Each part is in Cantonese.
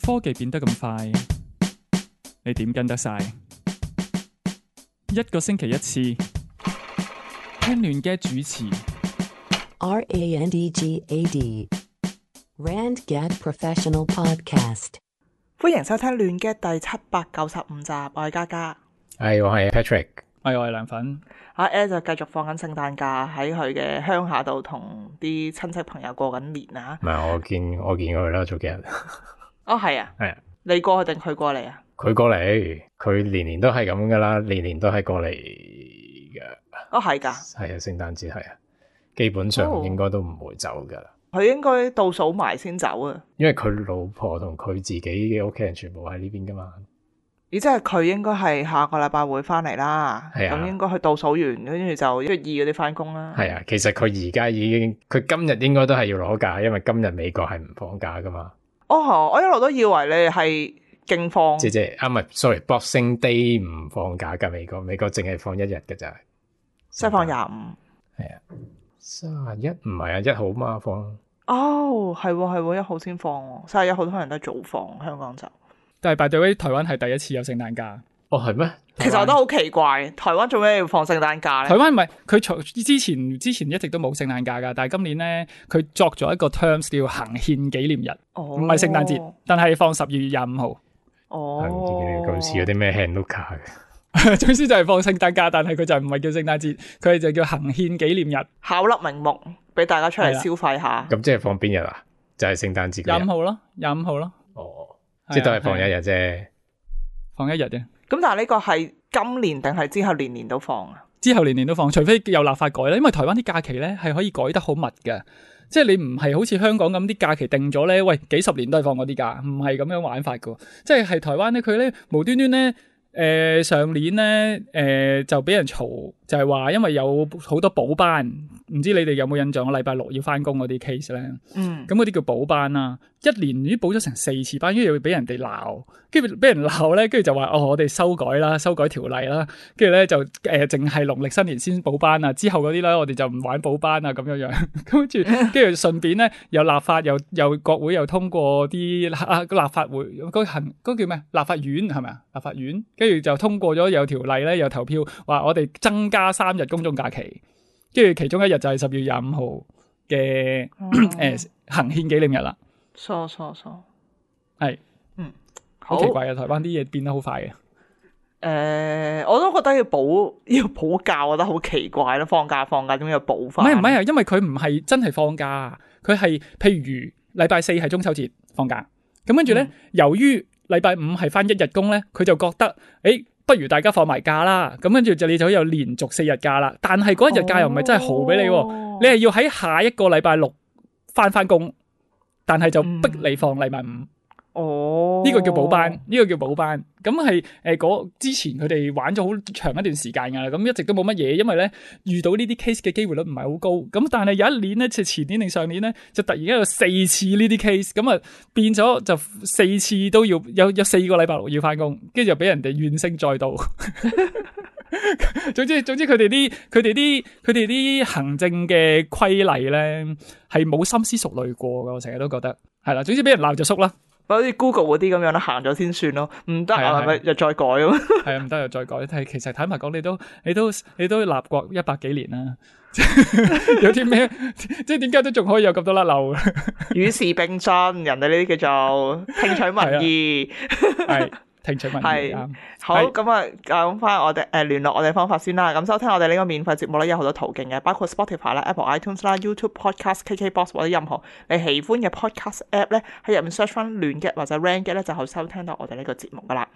科技變得咁快，你點跟得晒？一個星期一次，聽亂嘅主持。RANDGAD RandGad Professional Podcast。歡迎收聽亂 gad 第795集，我係嘉嘉，我係 Patrick， 我係涼粉。阿 Ed 就繼續放緊聖誕假喺佢嘅鄉下度同啲親戚朋友過緊年啊！唔係我見佢啦，早幾日。哦，係啊，係啊，你過去定佢過嚟啊？佢過嚟，佢年年都係咁噶啦，年年都係過嚟嘅。哦，係噶，係啊，聖誕節係啊，基本上應該都唔會走噶。佢應該倒數埋先走啊，因為佢老婆同佢自己嘅屋企人全部喺呢邊噶嘛。而即係佢應該係下個禮拜會翻嚟啦，係啊，咁應該去倒數完，跟住就1月2嗰啲翻工啦。係啊，其實佢而家已經，佢今日應該都係要攞假，因為今日美國係唔放假噶嘛。哦，我一路都以為你係勁放，即係唔係 sorry，Boxing Day 唔放假噶，美國淨係放一日噶咋，即係放25。係啊，31唔係啊，1號嘛放。哦，係1號先放喎，31號通常都係早放，香港就。但係 by the way，台灣係第一次有聖誕假。哦，係咩？其實我都好奇怪，台灣做咩要放聖誕假咧？台灣唔係佢從之前一直都冇聖誕假㗎，但係今年咧佢作咗一個 terms 叫行憲紀念日，唔係聖誕節，但係放12月25號。係唔知佢似嗰啲咩 Hanukkah 嘅。總之就係放聖誕假，但係佢就唔係叫聖誕節，佢就叫行憲紀念日。巧立名目，俾大家出嚟消費下。咁即係放邊日啊？就係聖誕節嗰日。25號咯，25號咯。哦，即係都係放一日啫，放一日啫。咁但係呢個係今年定係之後年年都放啊？之後年年都放，除非有立法改啦。因為台灣啲假期咧係可以改得好密嘅，即係你唔係好似香港咁啲假期定咗咧，喂幾十年都係放嗰啲假，唔係咁樣玩法嘅。即係台灣咧，佢咧無端端咧，上年咧就俾人嘈，就係話因為有好多補班，唔知你哋有冇印象？我禮拜六要翻工嗰啲 case 咧，咁嗰啲叫補班啦，一年已經補咗成4次班，跟住又俾人哋鬧，跟住俾人鬧咧，跟住就話我哋修改條例啦，跟住咧就淨係農曆新年先補班啊，之後嗰啲咧我哋就唔玩補班啊咁樣樣，跟住順便咧又立法又國會又通過啲立法會嗰叫咩？立法院係咪啊？立法院跟住就通過咗有條例咧，又投票話我哋增加3日公眾假期，跟住其中一日就係12月25號嘅行憲紀念日啦。疏係，好奇怪啊！台灣啲嘢變得好快嘅。我都覺得要補假，我覺得好奇怪咯。放假點解要補翻？唔係啊，因為佢唔係真係放假，佢係譬如禮拜4係中秋節放假，咁跟住咧，由於禮拜5係翻1日工咧，佢就覺得不如大家放埋假啦，咁跟住你就有連續4日假啦。但係嗰1日假又唔係真係豪俾你，你係要喺下一個禮拜6翻工，但係就逼你放禮拜5。呢個叫補班，咁係之前佢哋玩咗好長一段時間噶啦，咁一直都冇乜嘢，因為咧遇到呢啲 case 嘅機會率唔係好高，咁但係有一年咧，即係前年定上年咧，就突然間有4次呢啲 case，咁啊變咗就4次都要有4個禮拜6要翻工，跟住就俾人哋怨聲載道。總之佢哋啲行政嘅規例咧係冇深思熟慮過噶，我成日都覺得係啦。總之俾人鬧就縮啦。好似 Google 嗰啲咁樣啦，行咗先算咯，唔得啊，係咪又再改咁？係啊，唔得又再改。但係其實坦白講，你都立國100幾年啦，有啲咩即係點解都仲可以有咁多甩漏？與時並進，人哋呢啲叫做聽取民意，係聽取民意啱。好，咁啊，講翻我哋聯絡我哋方法先啦。咁收聽我哋呢個免費節目咧，有好多途徑嘅，包括 Spotify 啦、Apple iTunes 啦、YouTube Podcast、KKBox 或者任何你喜歡嘅 Podcast App 咧，喺入面 search 翻亂 gad 或者 RandGad 咧，就可以收聽到我哋呢個節目噶啦。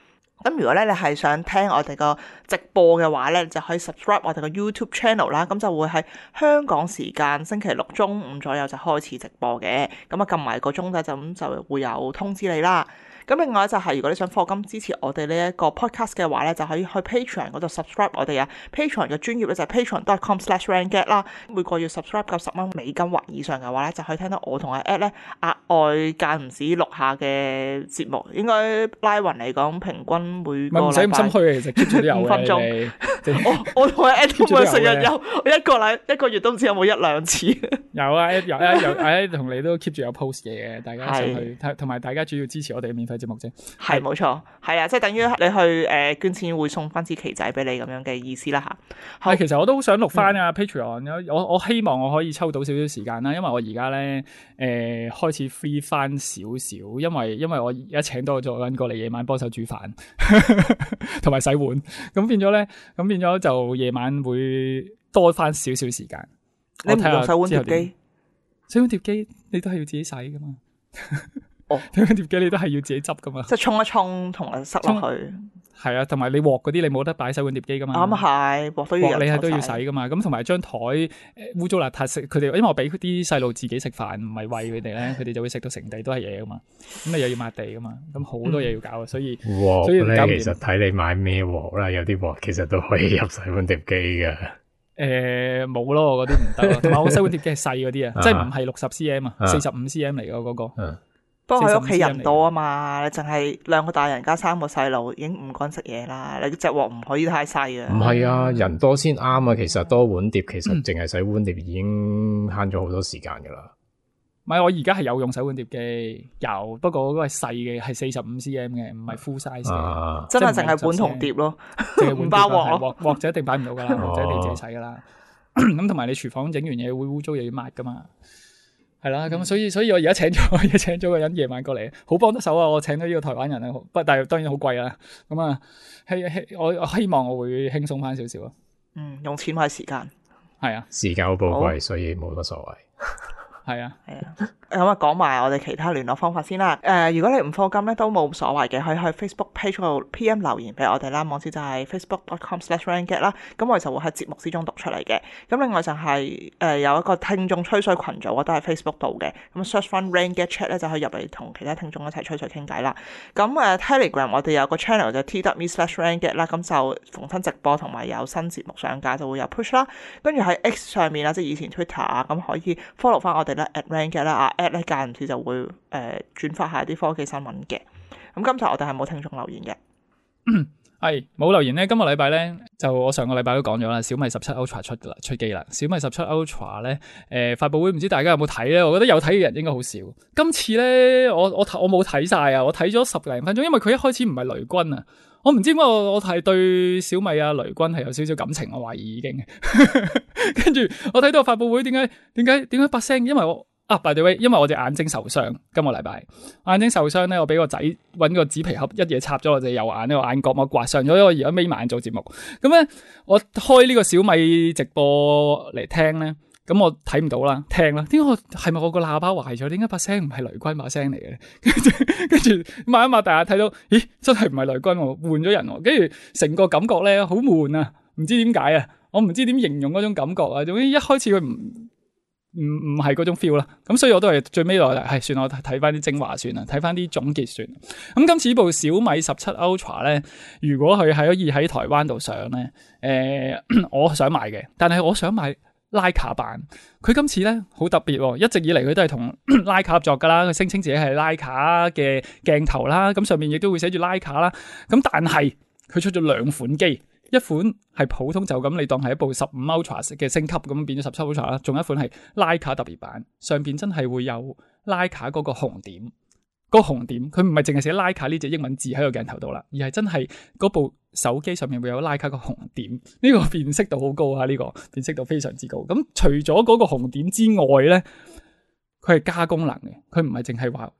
咁如果咧你係想聽我哋個直播嘅話咧，就可以 subscribe 我哋個 YouTube channel 啦。咁就會喺香港時間星期6中午左右就開始直播嘅。咁啊撳埋個鐘仔就會有通知你啦。咁另外就係如果你想課金支持我哋呢一個 podcast 嘅話咧，就可以去 Patreon 嗰度 subscribe 我哋啊。Patreon 嘅專頁咧就係 patreon.com/rangad 啦。每個月 subscribe 夠10蚊美金或以上嘅話咧，就可以聽到我同阿 Ed 咧額外間唔時錄下嘅節目。應該拉勻嚟講，平均每個唔使咁心虛嘅，其實 keep 住都有5分鐘鐘。我同阿 Ed 都會成日有，我一個月都唔知有冇1-2次。有啊，有同你都 keep 住有 post 嘢嘅，大家上去，同埋大家主要支持我哋嘅免費節目啫。係冇錯，係啊，即係等於你去捐錢會送翻支旗仔俾你咁樣嘅意思啦嚇。其實我都好想錄翻啊 Patreon，我希望我可以抽到少少時間啦，因為我而家咧開始 free 翻少少，因為我而家請多咗人過嚟夜晚幫手煮飯，同埋洗碗，咁變咗就夜晚會多翻少少時間。你唔用洗碗碟機？洗碗碟機你都係要自己洗噶嘛？哦，洗碗碟機你都係要自己執噶嘛？即係沖一沖同埋塞落去。係啊，同埋你鑊嗰啲你冇得擺洗碗碟機噶嘛？啱啊，係鑊都要你係都要洗噶嘛？咁同埋張台污糟邋遢食，佢哋因為我俾啲細路自己食飯，唔係餵佢哋咧，佢哋就會食到成地都係嘢噶嘛。咁你又要抹地噶嘛？咁好多嘢要搞啊，所以鑊咧其實睇你買咩鑊啦，有啲鑊其實都可以入洗碗碟機噶。冇咯，我嗰啲唔得咯。同埋我洗碗碟機係細嗰啲啊，即係唔係60 cm 啊，45 cm 嚟噶嗰個。不過佢屋企人多啊嘛，你淨係2個大人加3個細路，已經唔乾食嘢啦。你隻鑊唔可以太細啊。唔係啊，人多先啱啊。其實多碗碟，其實淨係洗碗碟已經慳咗好多時間噶啦。唔係，我而家係有用洗碗碟機，有，不過嗰個係細嘅，係45 cm 嘅，唔係 full size 嘅。真係淨係碗同碟咯，唔包鑊。鑊就一定擺唔到噶啦，鑊就一定自己洗噶啦。咁同埋你廚房整完嘢會污糟，又要抹噶嘛。係啦，咁所以我而家請咗個人夜晚過嚟，好幫得手啊！我請到呢個台灣人啊，但係當然好貴啦。咁啊，我希望我會輕鬆翻少少咯。用錢買時間，係啊，時間好寶貴，所以冇乜所謂。係啊。咁啊，講埋我哋其他聯絡方法先啦。如果你唔課金咧，都冇所謂嘅，可以去 Facebook page 嗰度 PM 留言俾我哋啦。網址就係 facebook.com/rangad 啦。咁我哋就會喺節目之中讀出嚟嘅。咁另外就係有一個聽眾吹水群組，都喺 Facebook 度嘅。咁 search 翻 Rangad Chat 咧，就可以入嚟同其他聽眾一齊吹水傾偈啦。咁Telegram 我哋有個 channel 就 t.me/rangad 啦。咁就逢親直播同埋有新節目上架就會有 push 啦。跟住喺 X 上面啦，即係以前 Twitter 啊，咁可以 follow 翻我哋咧 @rangad 啦。@咧間唔時就會轉發下啲科技新聞嘅。咁今集我哋係冇聽眾留言嘅，係冇留言咧。今個禮拜咧就我上個禮拜都講咗啦，小米17 Ultra 出機啦。小米17 Ultra 咧發佈會唔知大家有冇睇咧？我覺得有睇嘅人應該好少。今次咧我冇睇晒啊，我睇咗10零分鐘，因為佢一開始唔係雷軍啊。我唔知點解我係對小米啊雷軍係有少少感情，我懷疑已經。跟住我睇到發佈會，點解把聲？因為我by the way， 因為我隻眼睛受傷，今個禮拜眼睛受傷咧，我俾個仔搵個紙皮盒一嘢插咗我隻右眼，呢個眼角膜刮傷咗，我而家眯埋眼做節目。咁咧，我開呢個小米直播嚟聽咧，咁我睇唔到啦，聽啦。點解係咪我個喇叭壞咗？點解把聲唔係雷軍把聲嚟嘅？跟住擘一擘大眼睇到，咦，真係唔係雷軍喎，換咗人喎。跟住成個感覺咧好悶啊，唔知點解啊，我唔知點形容嗰種感覺啊。總之一開始佢唔係嗰種 feel 啦，咁所以我都係最尾落嚟，算我睇翻啲精華算啦，睇翻啲總結算。咁今次呢部小米17 Ultra 咧，如果佢係可以喺台灣度上咧，我想買嘅，但係我想買徠卡版。佢今次咧好特別，一直以嚟佢都係同徠卡合作噶啦，佢聲稱自己係徠卡嘅鏡頭啦，咁上面亦都會寫住徠卡啦。咁但係佢出咗2款機。一款係普通就咁，你當係一部15 Ultra 嘅升級咁變咗17 Ultra 啦。仲有一款係徠卡特別版，上邊真係會有徠卡嗰個紅點，嗰個紅點佢唔係淨係寫徠卡呢隻英文字喺個鏡頭度啦，而係真係嗰部手機上面會有徠卡個紅點。呢個辨識度好高啊！呢個辨識度非常之高。咁除咗嗰個紅點之外咧，佢係加功能嘅，佢唔係淨係話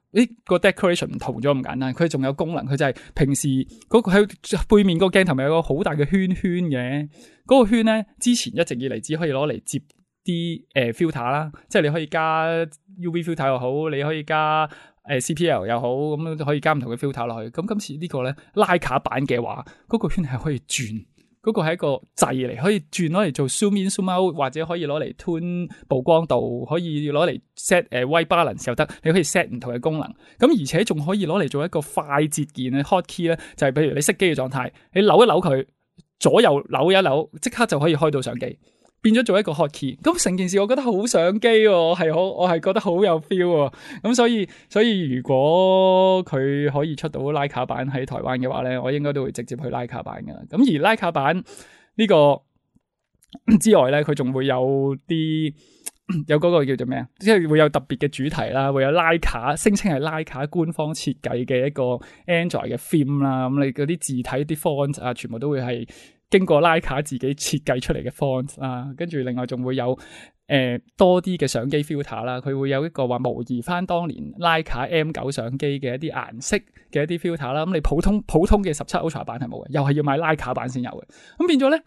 個 decoration 唔同咗咁簡單，佢仲有功能，佢就係平時嗰個喺背面個鏡頭咪有個好大嘅圈嘅，嗰個圈咧之前一直以嚟只可以攞嚟接啲filter 啦，即係你可以加 UV filter 又好，你可以加CPL 又好，咁可以加唔同嘅 filter 落去。咁今次呢個咧徠卡版嘅話，嗰個圈係可以轉嗰個係一個掣嚟，可以攞嚟做 zoom in zoom out，或者可以攞嚟 tune 曝光度，可以攞嚟 set white balance 又得，你可以 set 唔同嘅功能。咁而且仲可以攞嚟做一個快捷鍵嘅 hot key 咧，就係譬如你熄機嘅狀態，你扭一扭佢，左右扭一扭，即刻就可以開到相機，變咗做一個 hot key。咁成件事我覺得好相機喎，我係覺得好有 feel 喎。咁所以如果佢可以出到拉卡版喺台灣嘅話咧，我應該都會直接去拉卡版㗎。咁而拉卡版呢個之外咧，佢仲會有嗰個叫做咩啊？即係會有特別嘅主題啦，會有拉卡，聲稱係拉卡官方設計嘅一個 Android 嘅 theme 啦。咁你嗰啲字體啲 font 啊，全部都會係經過拉卡自己設計出嚟嘅 font 啊。跟住另外仲會有多啲嘅相機 filter 啦，佢會有一個話模擬翻當年拉卡 M9 相機嘅一啲顏色嘅一啲 filter 啦。咁你普通嘅17 Ultra 版係冇嘅，又係要買拉卡版先有嘅。咁變咗咧，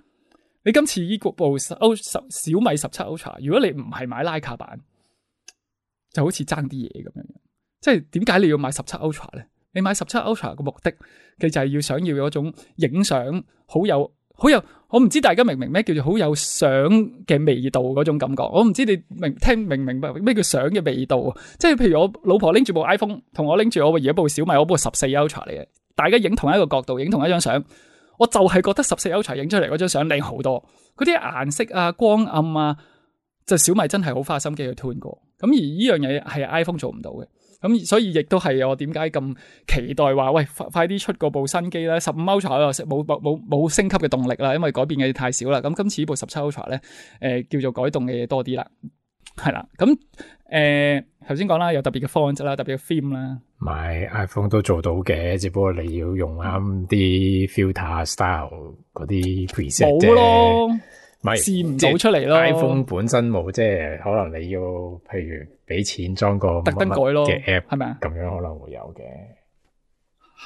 你今次呢部小米17 Ultra， 如果你唔係買拉卡版，就好似爭啲嘢咁樣。即係點解你要買17 Ultra 咧？你買17 Ultra 嘅目的，佢就係想要嗰種影相好有，我唔知大家明唔明咩叫做好有相嘅味道嗰種感覺。我唔知你明唔明白咩叫相嘅味道。即係譬如我老婆拎住部 iPhone， 同我拎住我而家部小米，我部14 Ultra 嚟嘅，大家影同一個角度，影同一張相。我就係覺得14 Ultra 影出嚟嗰張相靚好多，嗰啲顏色啊、光暗啊，就小米真係好花心機去 tune 過。咁而呢樣嘢係 iPhone 做唔到嘅，咁所以亦都係我點解咁期待話，喂，快啲出嗰部新機啦！15 Ultra 又冇升級嘅動力啦，因為改變嘅嘢太少啦。咁今次呢部17 Ultra 咧，叫做改動嘅嘢多啲啦，係啦。咁頭先講啦，有特別嘅 font 啦，特別嘅 theme 啦。買 iPhone 都做到嘅，只不過你要用啱啲 filter style 嗰啲 preset 啫。冇咯，唔係試唔到出嚟咯。iPhone 本身冇，即係可能你要譬如俾錢裝個特登改咯嘅 app，係咪啊？咁樣可能會有嘅。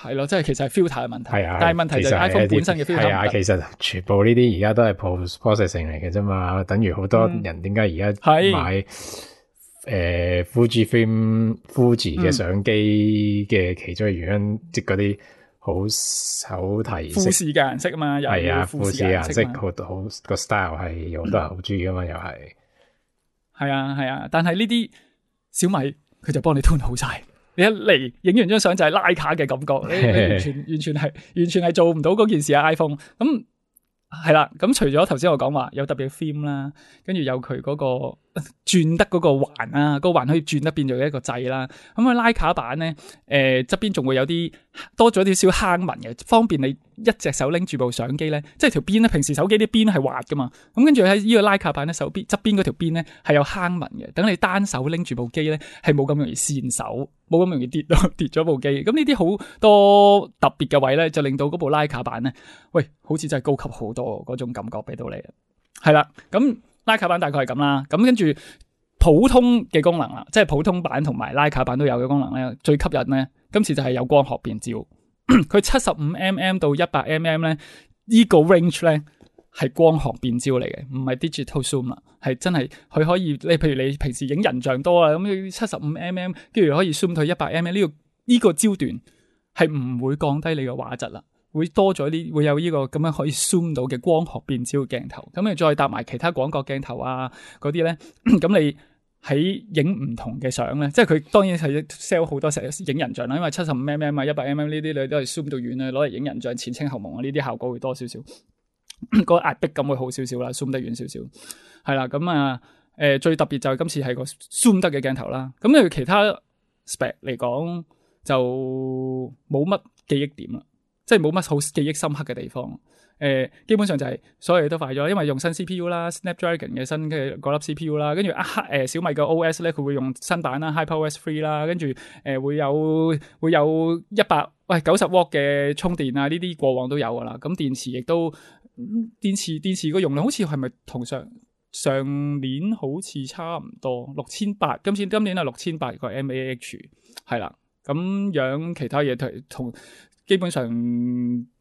係咯，即係其實係 filter 嘅問題。係啊，但係問題就係 iPhone 本身嘅 filter 係啊，其實全部呢啲而家都係 post processing 嚟嘅啫嘛。等於好多人點解而家買Fuji 嘅相機嘅其中嘅原因，即係嗰啲好手提富士嘅顏色啊嘛，係啊，富士嘅顏色嘛好個 style 係有好多人好中意噶嘛，又係啊，但係呢啲小米佢就幫你 tune 好晒，你一嚟影完張相就係拉卡嘅感覺，你完全係做唔到嗰件事啊 iPhone 咁。係啦，咁除咗頭先我講話有特別嘅 theme 啦，跟住有佢嗰個轉得嗰個環啊，個環可以轉得變做一個掣啦。咁佢拉卡版咧，側邊仲會有啲多咗啲小坑紋嘅，方便你一隻手拎住部相機咧，即係條邊咧，平時手機啲邊係滑噶嘛，咁跟住喺呢個拉卡版咧，手邊側邊嗰條邊咧係有坑紋嘅，等你單手拎住部機咧係冇咁容易跣手，冇咁容易跌咗部機。咁呢啲好多特別嘅位咧，就令到嗰部拉卡版咧，喂，好似真係高級好多嗰種感覺俾到你。係啦，咁拉卡版大概係咁啦，咁跟住普通嘅功能啦，即係普通版同埋拉卡版都有嘅功能咧，最吸引咧，今次就係有光學變焦。佢75mm 到100mm咧，呢個 range 咧係光學變焦嚟嘅，唔係 digital zoom 啦，係真係佢可以，你譬如你平時影人像多啊，咁75mm，跟住可以 zoom 到100mm，呢個焦段係唔會降低你嘅畫質啦。會多咗啲，會有呢個咁樣可以 zoom 到嘅光學變焦鏡頭，咁你再搭埋其他廣角鏡頭啊嗰啲咧，咁你喺影唔同嘅相咧，即係佢當然係 sell 好多成日影人像啦，因為75mm 啊、100mm 呢啲你都係 zoom 到遠啊，攞嚟影人像前清後朦啊，呢啲效果會多少少，個壓迫感會好少少啦 ,zoom 得遠少少，係啦，咁啊最特別就係今次係個 zoom 得嘅鏡頭啦，咁你其他 spec 嚟講就冇乜記憶點啦。即係冇乜好記憶深刻嘅地方，基本上就係所有嘢都快咗，因為用新 CPU 啦 ，Snapdragon 嘅新嘅嗰粒 CPU 啦，跟住小米嘅 OS 咧，佢會用新版啦 ，HyperOS 3啦，跟住會有90W 嘅充電啊，呢啲過往都有噶啦。咁電池亦都電池個容量好似係咪同上年好似差唔多6800，今年係6800個 mAh 係啦，咁樣其他嘢同。基本上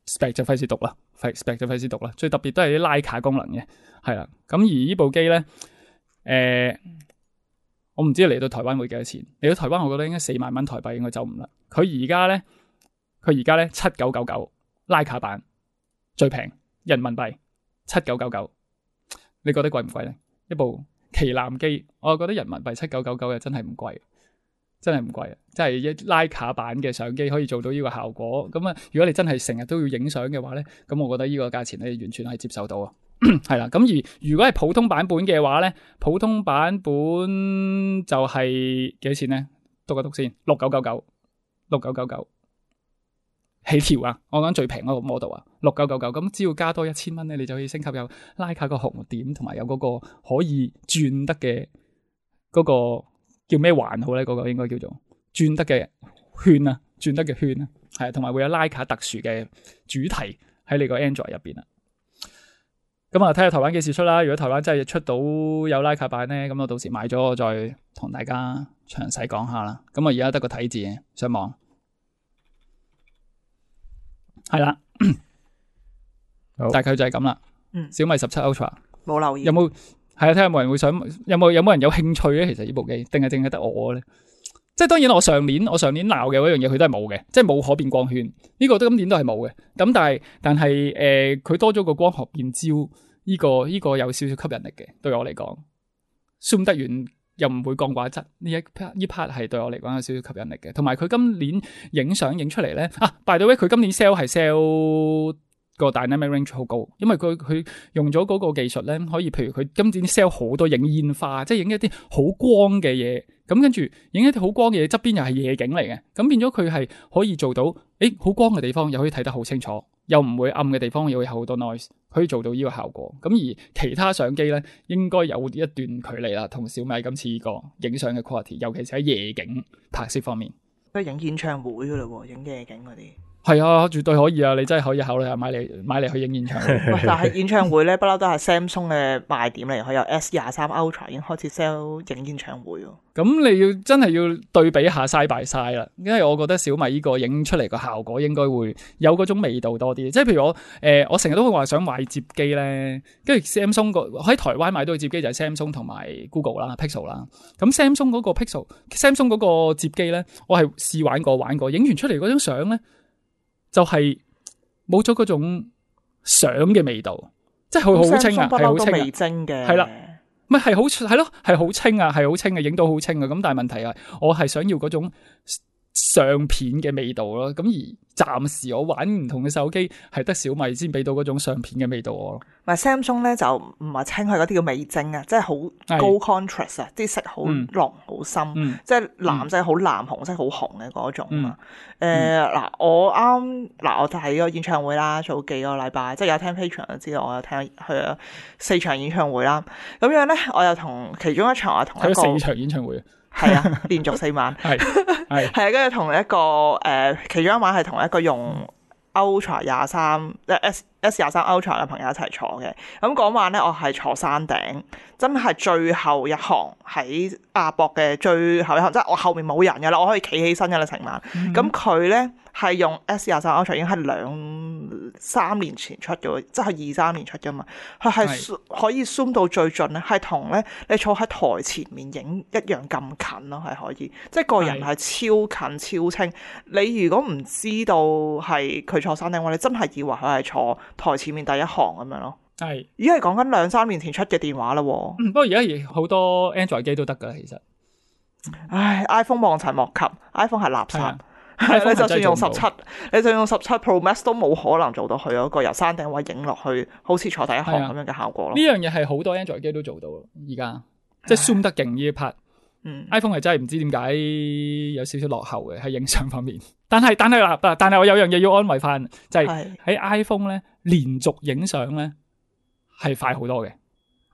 spec 就費事讀啦 ，spec 就費事讀啦。最特別都係啲拉卡功能嘅，係啦。咁而呢部機咧，我唔知嚟到台灣會幾多錢。嚟到台灣，我覺得應該4萬蚊台幣應該走唔甩。佢而家咧7999拉卡版最平人民幣7999，你覺得貴唔貴咧？一部旗艦機，我覺得人民幣7999嘅真係唔貴。真係唔貴啊！即係一徠卡版嘅相機可以做到呢個效果。咁啊，如果你真係成日都要影相嘅話咧，咁我覺得呢個價錢你完全係接受到啊。係啦，咁而如果係普通版本嘅話咧，普通版本就係幾多錢咧？讀一讀先，6999起跳啊！我講最平嗰個 model 啊，6999。咁只要加多1000蚊咧，你就可以升級有徠卡個紅點，同埋有嗰個可以轉得嘅嗰個。叫咩環好咧？嗰個應該叫做轉得嘅圈啊，轉得嘅圈啊，係同埋會有徠卡特殊嘅主題喺你個 Android 入邊啊。咁啊，睇下台灣幾時出啦。如果台灣真係出到有徠卡版咧，咁我到時買咗我再同大家詳細講下啦。咁我而家得個睇字嘅上網，係啦，大概就係咁啦。小米17 Ultra 冇留意有冇？係啊，睇下有冇人會想，有冇人有興趣咧？其實呢部機，定係淨係得我咧？即係當然我上年鬧嘅嗰樣嘢，佢都係冇嘅，即係冇可變光圈，呢個都今年都係冇嘅。咁但係佢多咗個光學變焦，呢個有少少吸引力嘅，對我嚟講，zoom 得遠又唔會降畫質，呢 part 係對我嚟講有少少吸引力嘅。同埋佢今年影相影出嚟咧，by the way，佢今年 sell 係 sell。個 dynamic range 好高，因為佢用咗嗰個技術咧，可以譬如佢今年 sell 好多影煙花，即係影一啲好光嘅嘢，咁跟住影一啲好光嘅嘢，側邊又係夜景嚟嘅，咁變咗佢係可以做到，好光嘅地方又可以睇得好清楚，又唔會暗嘅地方又會有好多 noise，可以做到呢個效果。咁而其他相機咧，應該有一段距離啦，同小米今次呢個影相嘅 quality，尤其是喺夜景拍攝方面，都影演唱會噶啦喎，影夜景嗰啲。係啊，絕對可以啊！你真係可以考慮下買嚟去影演唱會。但係演唱會咧，不嬲都係 Samsung 嘅賣點嚟，佢有 S23 Ultra 已經開始 sell 影演唱會喎。咁你真係要對比下 side by side 啦，因為我覺得小米呢個影出嚟個效果應該會有嗰種味道多啲。即係譬如我成日都會話想買摺機咧，跟住 Samsung 喺台灣買到嘅摺機就係 Samsung 同埋 Google 啦、Pixel 啦。咁 Samsung 嗰個 Samsung 嗰個摺機咧，我係試玩過，影完出嚟嗰張相咧。就係冇咗嗰種相嘅味道，即係佢好清啊，係好清微精嘅，係啦，咪係好係咯，係好清啊，係好清嘅，影到好清啊。咁但係問題係，我係想要嗰種相片嘅味道咯。咁而暫時我玩唔同嘅手機，係得小米先俾到嗰種相片嘅味道我咯。唔係 Samsung 咧就唔係清佢嗰啲叫微精啊，即係好高 contrast 啊，啲色好濃好深，即係藍色好藍，紅色好紅嘅嗰種啊。我睇個演唱會啦，早幾個禮拜，即係有聽 Patreon 就知道我有聽去咗4場演唱會啦。咁樣咧，我又同其中一場我同一個4場演唱會。係啊，連續4晚，係啊，跟住同一個其中一晚係同一個用 Ultra 23S23 Ultra 嘅朋友一齊坐嘅。咁嗰晚咧，我係坐山頂，真係最後一行喺亞博嘅最後一行，即係我後面冇人㗎啦，我可以企起身㗎啦成晚。咁佢咧係用 S23 Ultra 已經係2-3年前出嘅，即係23年出㗎嘛。佢係可以 zoom 到最盡咧，係同咧你坐喺台前面影一樣咁近咯，係可以，即係個人係超近超清。你如果唔知道係佢坐山頂嘅話，你真係以為佢係坐台前面第一行咁樣咯。係，而家係講緊2-3年前出嘅電話啦。不過而家好多 Android 機都得噶啦，其實。唉 ，iPhone 望塵莫及 ，iPhone 係垃圾。你就算用17，你就用17 Pro Max 都冇可能做到佢嗰個由山頂位影落去，好似坐第一行咁樣嘅效果咯。呢樣嘢係好多 Android 機都做到，而家即係 zoom 得勁呢一 part。iPhone 係真係唔知點解有少少落後嘅喺影相方面。但係我有樣嘢要安慰翻，就係喺 iPhone 咧連續影相咧係快好多嘅。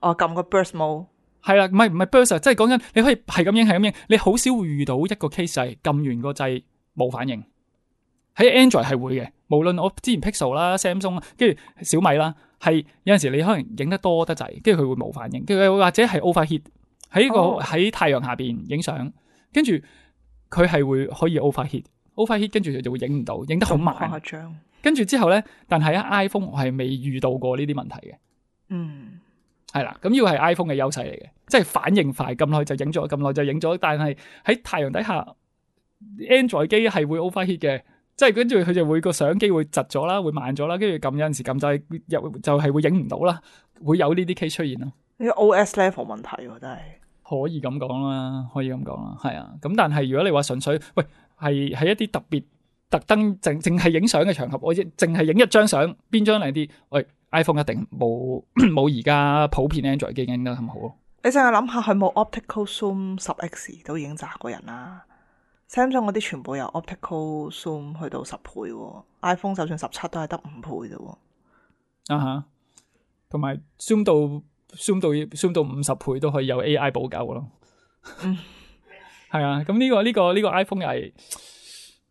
撳個 burst mode 係啦，唔係 burst， 即係講緊你可以係咁影，你好少會遇到一個 case 係撳完個掣冇反應。喺 Android 係會嘅，無論我之前 Pixel 啦、Samsung 跟住小米啦，係有陣時你可能影得多得滯，跟住佢會冇反應，跟住或者係 overheat 喺太陽下邊影相，跟住佢係會可以 overheat，跟住佢就會影唔到，影得好慢。跟住之後咧，但係喺 iPhone 我係未遇到過呢啲問題嘅。係啦，咁呢個係 iPhone 嘅優勢嚟嘅，即係反應快，咁耐就影咗，但係喺太陽底下 Android 機係會 overheat 嘅，即係跟住佢就會個相機會窒咗啦，會慢咗啦，跟住撳有陣時撳就係會影唔到啦，會有呢啲 case 出現咯。呢個 OS level 問題喎，真係可以咁講啦，可以咁講啦，係啊。咁但係如果你話純粹喂係喺一啲特登淨係影相嘅場合，我淨係影一張相，邊張靚啲？喂 ，iPhone 一定冇而家普遍 Android 機影得咁好咯。你淨係諗下，佢冇 optical zoom 10x 都已經砸過人啦。Samsung 嗰啲全部有 optical zoom 去到10倍喎，iPhone 就算17都係得5倍啫喎。啊哈，同埋 zoom 到50倍都可以有 AI 補救咯。係啊，咁呢個 iPhone 又係，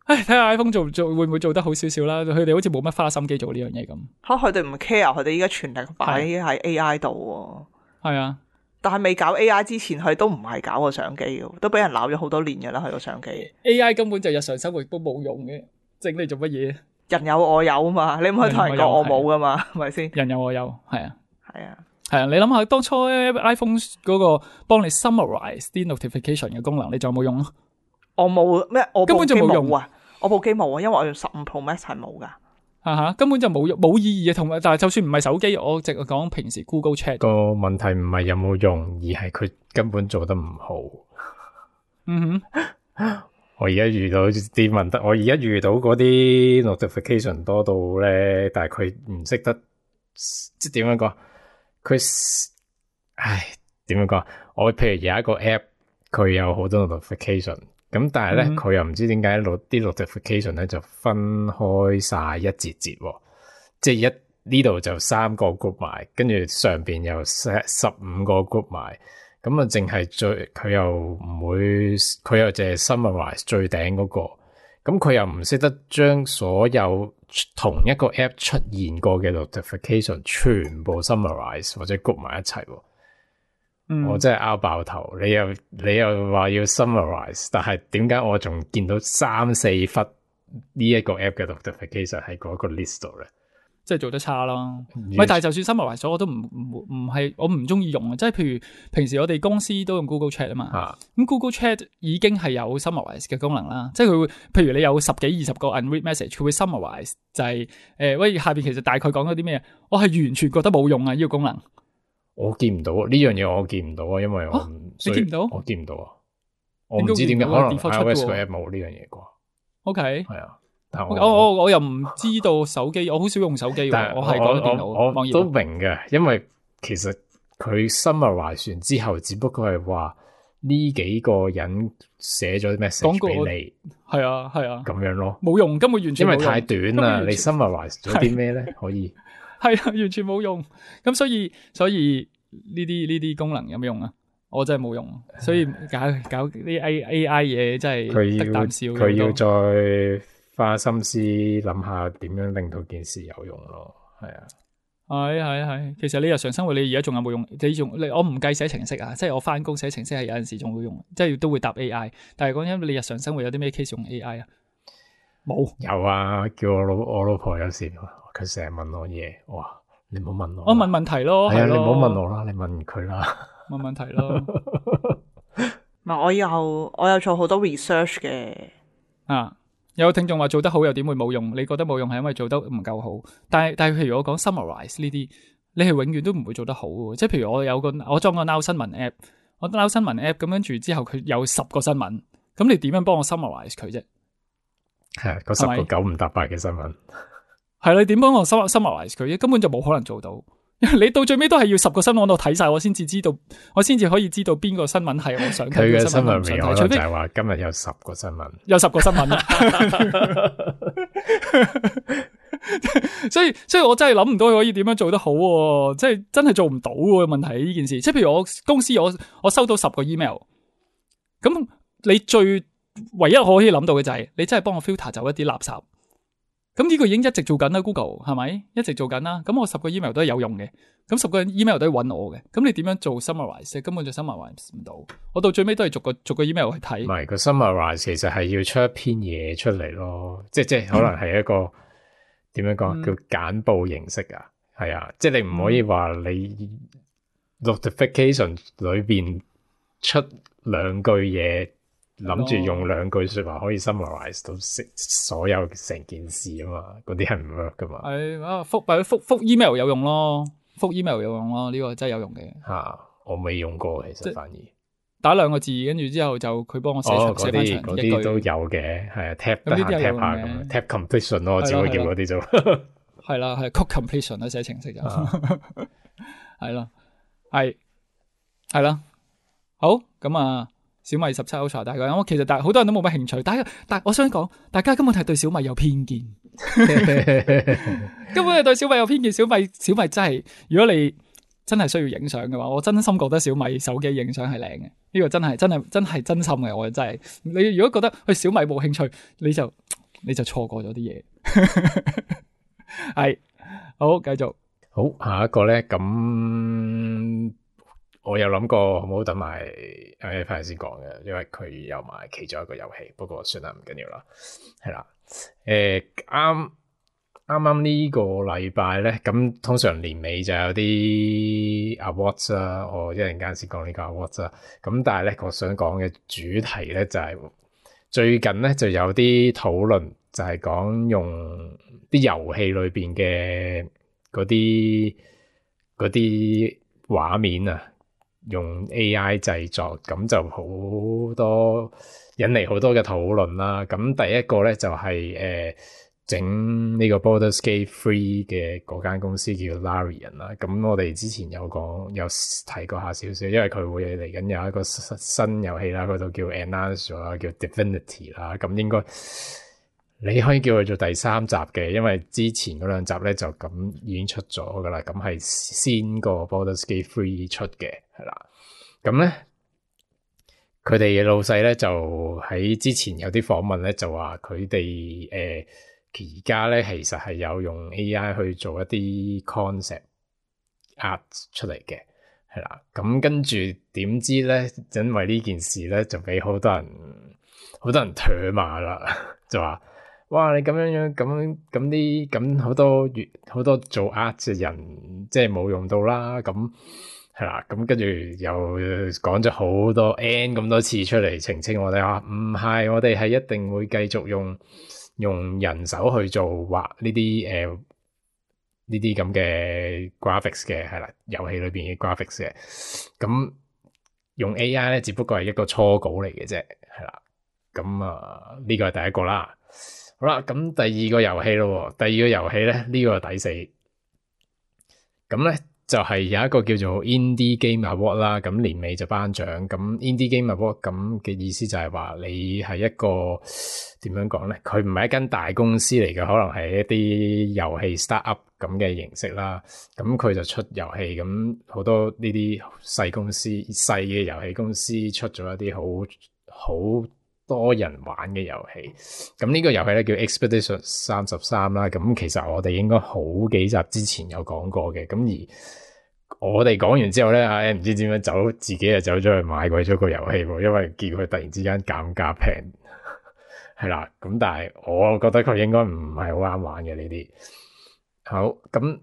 睇下 iPhone 做會唔會做得好少少啦？佢哋好似冇乜花心機做呢樣嘢咁。佢哋唔 care，佢哋依家全力擺喺 AI 度喎。係啊。但係未搞 AI 之前，佢都唔係搞個相機嘅，都俾人鬧咗好多年嘅啦。佢個相機 AI 根本就日常生活都冇用嘅，整嚟做乜嘢？人有我有啊嘛，你唔可以同人講我冇噶嘛，係咪先？人有我有，係啊，係啊，係啊。你諗下當初 iPhone 嗰個幫你 summarize 啲 notification 嘅功能，你仲有冇用啊？我冇咩，我根本就冇用啊！我部機冇啊，因為我用15 Pro Max 係冇噶。根本就冇意義嘅，同埋但係就算唔係手機，我淨係講平時 Google Chat 個問題唔係有冇用，而係佢根本做得唔好。嗯哼，我而家遇到啲問題，我而家遇到嗰啲 notification 多到咧，但係佢唔識得即係點樣講？點樣講？我譬如有一個 app， 佢有好多 notification。咁但係咧，佢又唔知點解啲 notification 咧就分開晒一節，即係呢度就3個 group 埋，跟住上邊又15個 group 埋，咁啊淨係佢又淨係 summarize 最頂嗰個，咁佢又唔識得將所有同一個 app 出現過嘅 notification 全部 summarize 或者 group 埋一齊。我真係拗爆頭，你又話要 summarize， 但係點解我仲見到3-4忽呢一個 app 嘅 notification 喺嗰個 list 度咧？即係做得差咯。但係就算 summarize 咗，我都唔係我唔中意用啊。即係譬如平時我哋公司都用 Google Chat 啊嘛，咁 Google Chat 已經係有 summarize 嘅功能啦。即係佢會，譬如你有10幾20個 unread message，佢會 summarize 就係喂下邊其實大概講咗啲咩？我係完全覺得冇用啊！呢個功能。我見唔到呢樣嘢，我見唔到啊，因為你見唔到？我見唔到啊，我唔知點解，可能 iOS 個 app 冇呢樣嘢啩。OK，係啊，但我又唔知道手機，我好少用手機喎，我係講電腦。我都明嘅，因為其實佢 summarize 完之後，只不過係話呢幾個人寫咗 message 俾你，係啊，咁樣咯，冇用，根本完全冇用，因為太短啦。你 summarize 咗啲咩咧？可以。係啊，完全冇用。咁所以呢啲功能有咩用啊？我真係冇用。所以搞啲 AI 嘢真係得啖笑。佢要再花心思諗下點樣令到件事有用咯。係啊，係。其實你日常生活你而家仲有冇用？我唔計寫程式啊，即係我翻工寫程式係有陣時仲會用，即係都會答 AI。但係講緊你日常生活有啲咩 case 用 AI 啊？冇。有啊，叫我老婆有時。佢成日問我嘢，哇！你唔好問我，我問問題咯，係你唔好問我啦，你問佢啦，問問題咯。唔係，我有做好多 research 嘅。有聽眾話做得好又點會冇用？你覺得冇用係因為做得唔夠好？但係譬如我講 summarize 呢啲，你係永遠都唔會做得好嘅。即係譬如我裝個 Now 新聞 app， 我 Now 新聞 app 咁跟住之後佢有10個新聞，咁你點樣幫我 summarize 佢啫？係嗰10個9唔搭8嘅新聞。係你點幫我 summarize 佢？根本就冇可能做到，因為你到最尾都係要10個新聞我睇晒，我先至可以知道邊個新聞係我想睇嘅新聞。佢嘅新聞可能就係話今日有10個新聞，有10個新聞所以我真係諗唔到佢可以點樣做得好，即係真係做唔到嘅問題呢件事。即係譬如我公司我收到10個 email， 咁你唯一可以諗到嘅就係你真係幫我 filter 走一啲垃圾。咁呢個已經一直做緊啦 ，Google 係咪一直做緊啦？咁我10個 email 都係有用嘅，咁10個 email 都係揾我嘅。咁你點樣做 summarize？ 根本就 summarize 唔到。我到最尾都係逐個 email 去睇。唔係個 summarize 其實係要出一篇嘢出嚟咯，即係可能係一個點樣講叫簡報形式啊？係啊，即係你唔可以話你 notification 裏邊出2句嘢諗住用2句說話可以 summarize 到所有成件事啊嘛，嗰啲係唔 work 噶嘛。係啊，覆 email 有用咯，覆 email 有用咯，呢個真係有用嘅。我未用過，其實反而打2個字，跟住之後就佢幫我寫翻長一句。嗰啲都有嘅，係啊 tap 得閒 tap 下咁 tap completion 咯，我只會叫嗰啲做。係啦，係 code completion 啦，寫程式就係啦，係啦，好咁啊。小米17 Ultra 大家，我其實好多人都冇乜興趣，但我想講，大家根本係對小米有偏見，根本係對小米有偏見。小米真係，如果你真係需要影相嘅話，我真心覺得小米手機影相係靚嘅，呢個真係真心嘅，我真係。你如果覺得去小米冇興趣，你就錯過咗啲嘢。係好，繼續好，下一個咧咁。我有諗過好唔好等埋翻嚟先講嘅，因為佢有埋其中一個遊戲，不過算啦，唔緊要啦，係啦，啱呢個禮拜咧，咁通常年尾就有啲 awards 啦，我一陣間先講呢個 awards 啦，咁但係咧，我想講嘅主題咧就係最近咧就有啲討論，就係講用啲遊戲裏邊嘅嗰啲畫面啊。用 AI 製作，咁就好多引嚟好多嘅討論啦。咁第一個咧就係整呢個 Baldur's Gate 3嘅嗰間公司叫 Larian 啦。咁我哋之前有提過下少少，因為佢會嚟緊有一個新遊戲啦，嗰度叫 Announce 咗啦，叫 Divinity 啦。咁應該你可以叫佢做第3集嘅，因為之前嗰2集咧就咁已經出咗噶啦。咁係先個 Baldur's Gate 3出嘅。係啦，咁咧佢哋嘅老細咧就喺之前有啲訪問咧就話佢哋而家咧其實係有用 AI 去做一啲 concept art 出嚟嘅，係啦，咁跟住點知咧，因為呢件事咧就俾好多人唾罵啦，就話哇你咁樣咁好多做 art 嘅人即係冇用到啦，咁。係啦，咁跟住又講咗好多 N 咁多次出嚟澄清我哋話唔係，我哋係一定會繼續用人手去做畫呢啲咁嘅 graphics 嘅，係啦，遊戲裏邊嘅 graphics 嘅，咁用 AI 咧只不過係一個初稿嚟嘅啫，係啦，咁呢個係第一個啦，好啦，咁第二個遊戲咯，第二個遊戲咧呢個係第4，咁咧。就係有一個叫做 Indie Game Award 啦，咁年尾就頒獎。咁 Indie Game Award 咁嘅意思就係話你係一個點樣講咧？佢唔係一間大公司嚟嘅，可能係一啲遊戲 startup 咁嘅形式啦。咁佢就出遊戲，咁好多呢啲細嘅遊戲公司出咗一啲好多人玩嘅遊戲。咁呢個遊戲咧叫 Expedition 33啦。咁其實我哋應該好幾集之前有講過嘅。咁而我哋講完之後咧，唔知點樣自己就走咗去買鬼咗個遊戲喎，因為見佢突然之間減價平，係啦。咁但係我覺得佢應該唔係好啱玩嘅呢啲。好，咁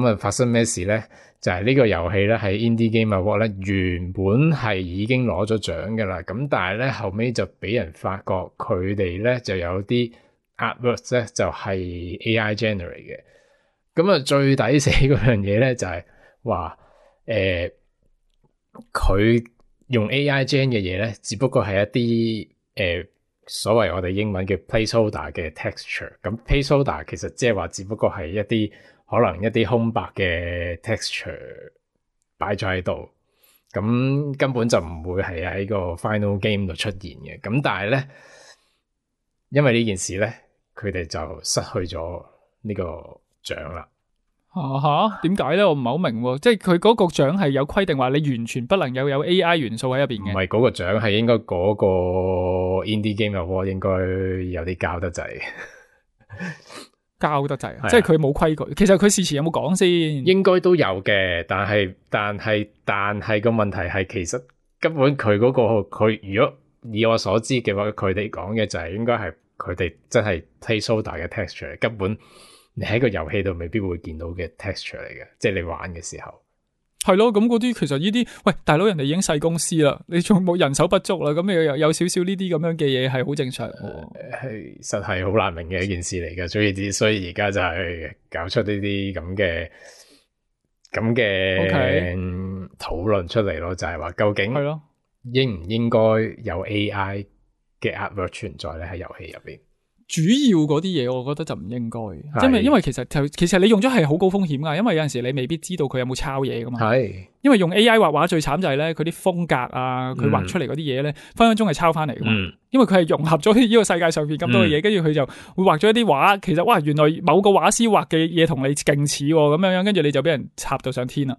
啊發生咩事咧？就係呢個遊戲咧喺 Indie Game Award 咧原本係已經攞咗獎噶啦，咁但係咧後尾就俾人發覺佢哋咧就有啲 artworks 咧就係 AI generate 嘅。咁啊最抵死嗰樣嘢咧就係話佢用 AI gen 嘅嘢咧，只不過係一啲所謂我哋英文嘅 placeholder 嘅 texture。咁 placeholder 其實即係話只不過係一啲可能一啲空白嘅 texture 擺咗喺度，咁根本就唔會係喺個 final game 度出現嘅。咁但係咧，因為呢件事咧，佢哋就失去咗呢個獎啦。點解咧？我唔係好明喎，即係佢嗰個獎係有規定話你完全不能有 AI 元素喺入邊嘅。唔係嗰個獎，係應該嗰個 Indie Game Award 應該有啲交得滯，交得滯，即係佢冇規矩。其實佢事前有冇講先？應該都有嘅，但係個問題係，其實根本佢嗰個佢如果以我所知嘅話，佢哋講嘅就係應該係佢哋真係 placeholder 嘅 texture，根本。你喺個遊戲度未必會見到嘅 texture 嚟嘅，即係你玩嘅時候。係咯，咁嗰啲其實呢啲，喂，大佬人哋已經細公司啦，你仲冇人手不足啦，咁你有少少呢啲咁樣嘅嘢係好正常喎。係實係好難明嘅一件事嚟嘅，所以而家就係搞出呢啲咁嘅討論出嚟咯，就係話究竟係咯，應唔應該有 AI 嘅 artwork 存在咧喺遊戲入邊？主要嗰啲嘢，我覺得就唔應該，因為其實你用咗係好高風險噶，因為有陣時你未必知道佢有冇抄嘢噶嘛。係，因為用 AI 畫畫最慘就係咧，佢啲風格啊，佢畫出嚟嗰啲嘢咧，分分鐘係抄翻嚟噶嘛。因為佢係融合咗呢個世界上邊咁多嘅嘢，跟住佢就會畫咗一啲畫，其實哇，原來某個畫師畫嘅嘢同你勁似咁樣，跟住你就俾人插到上天啦。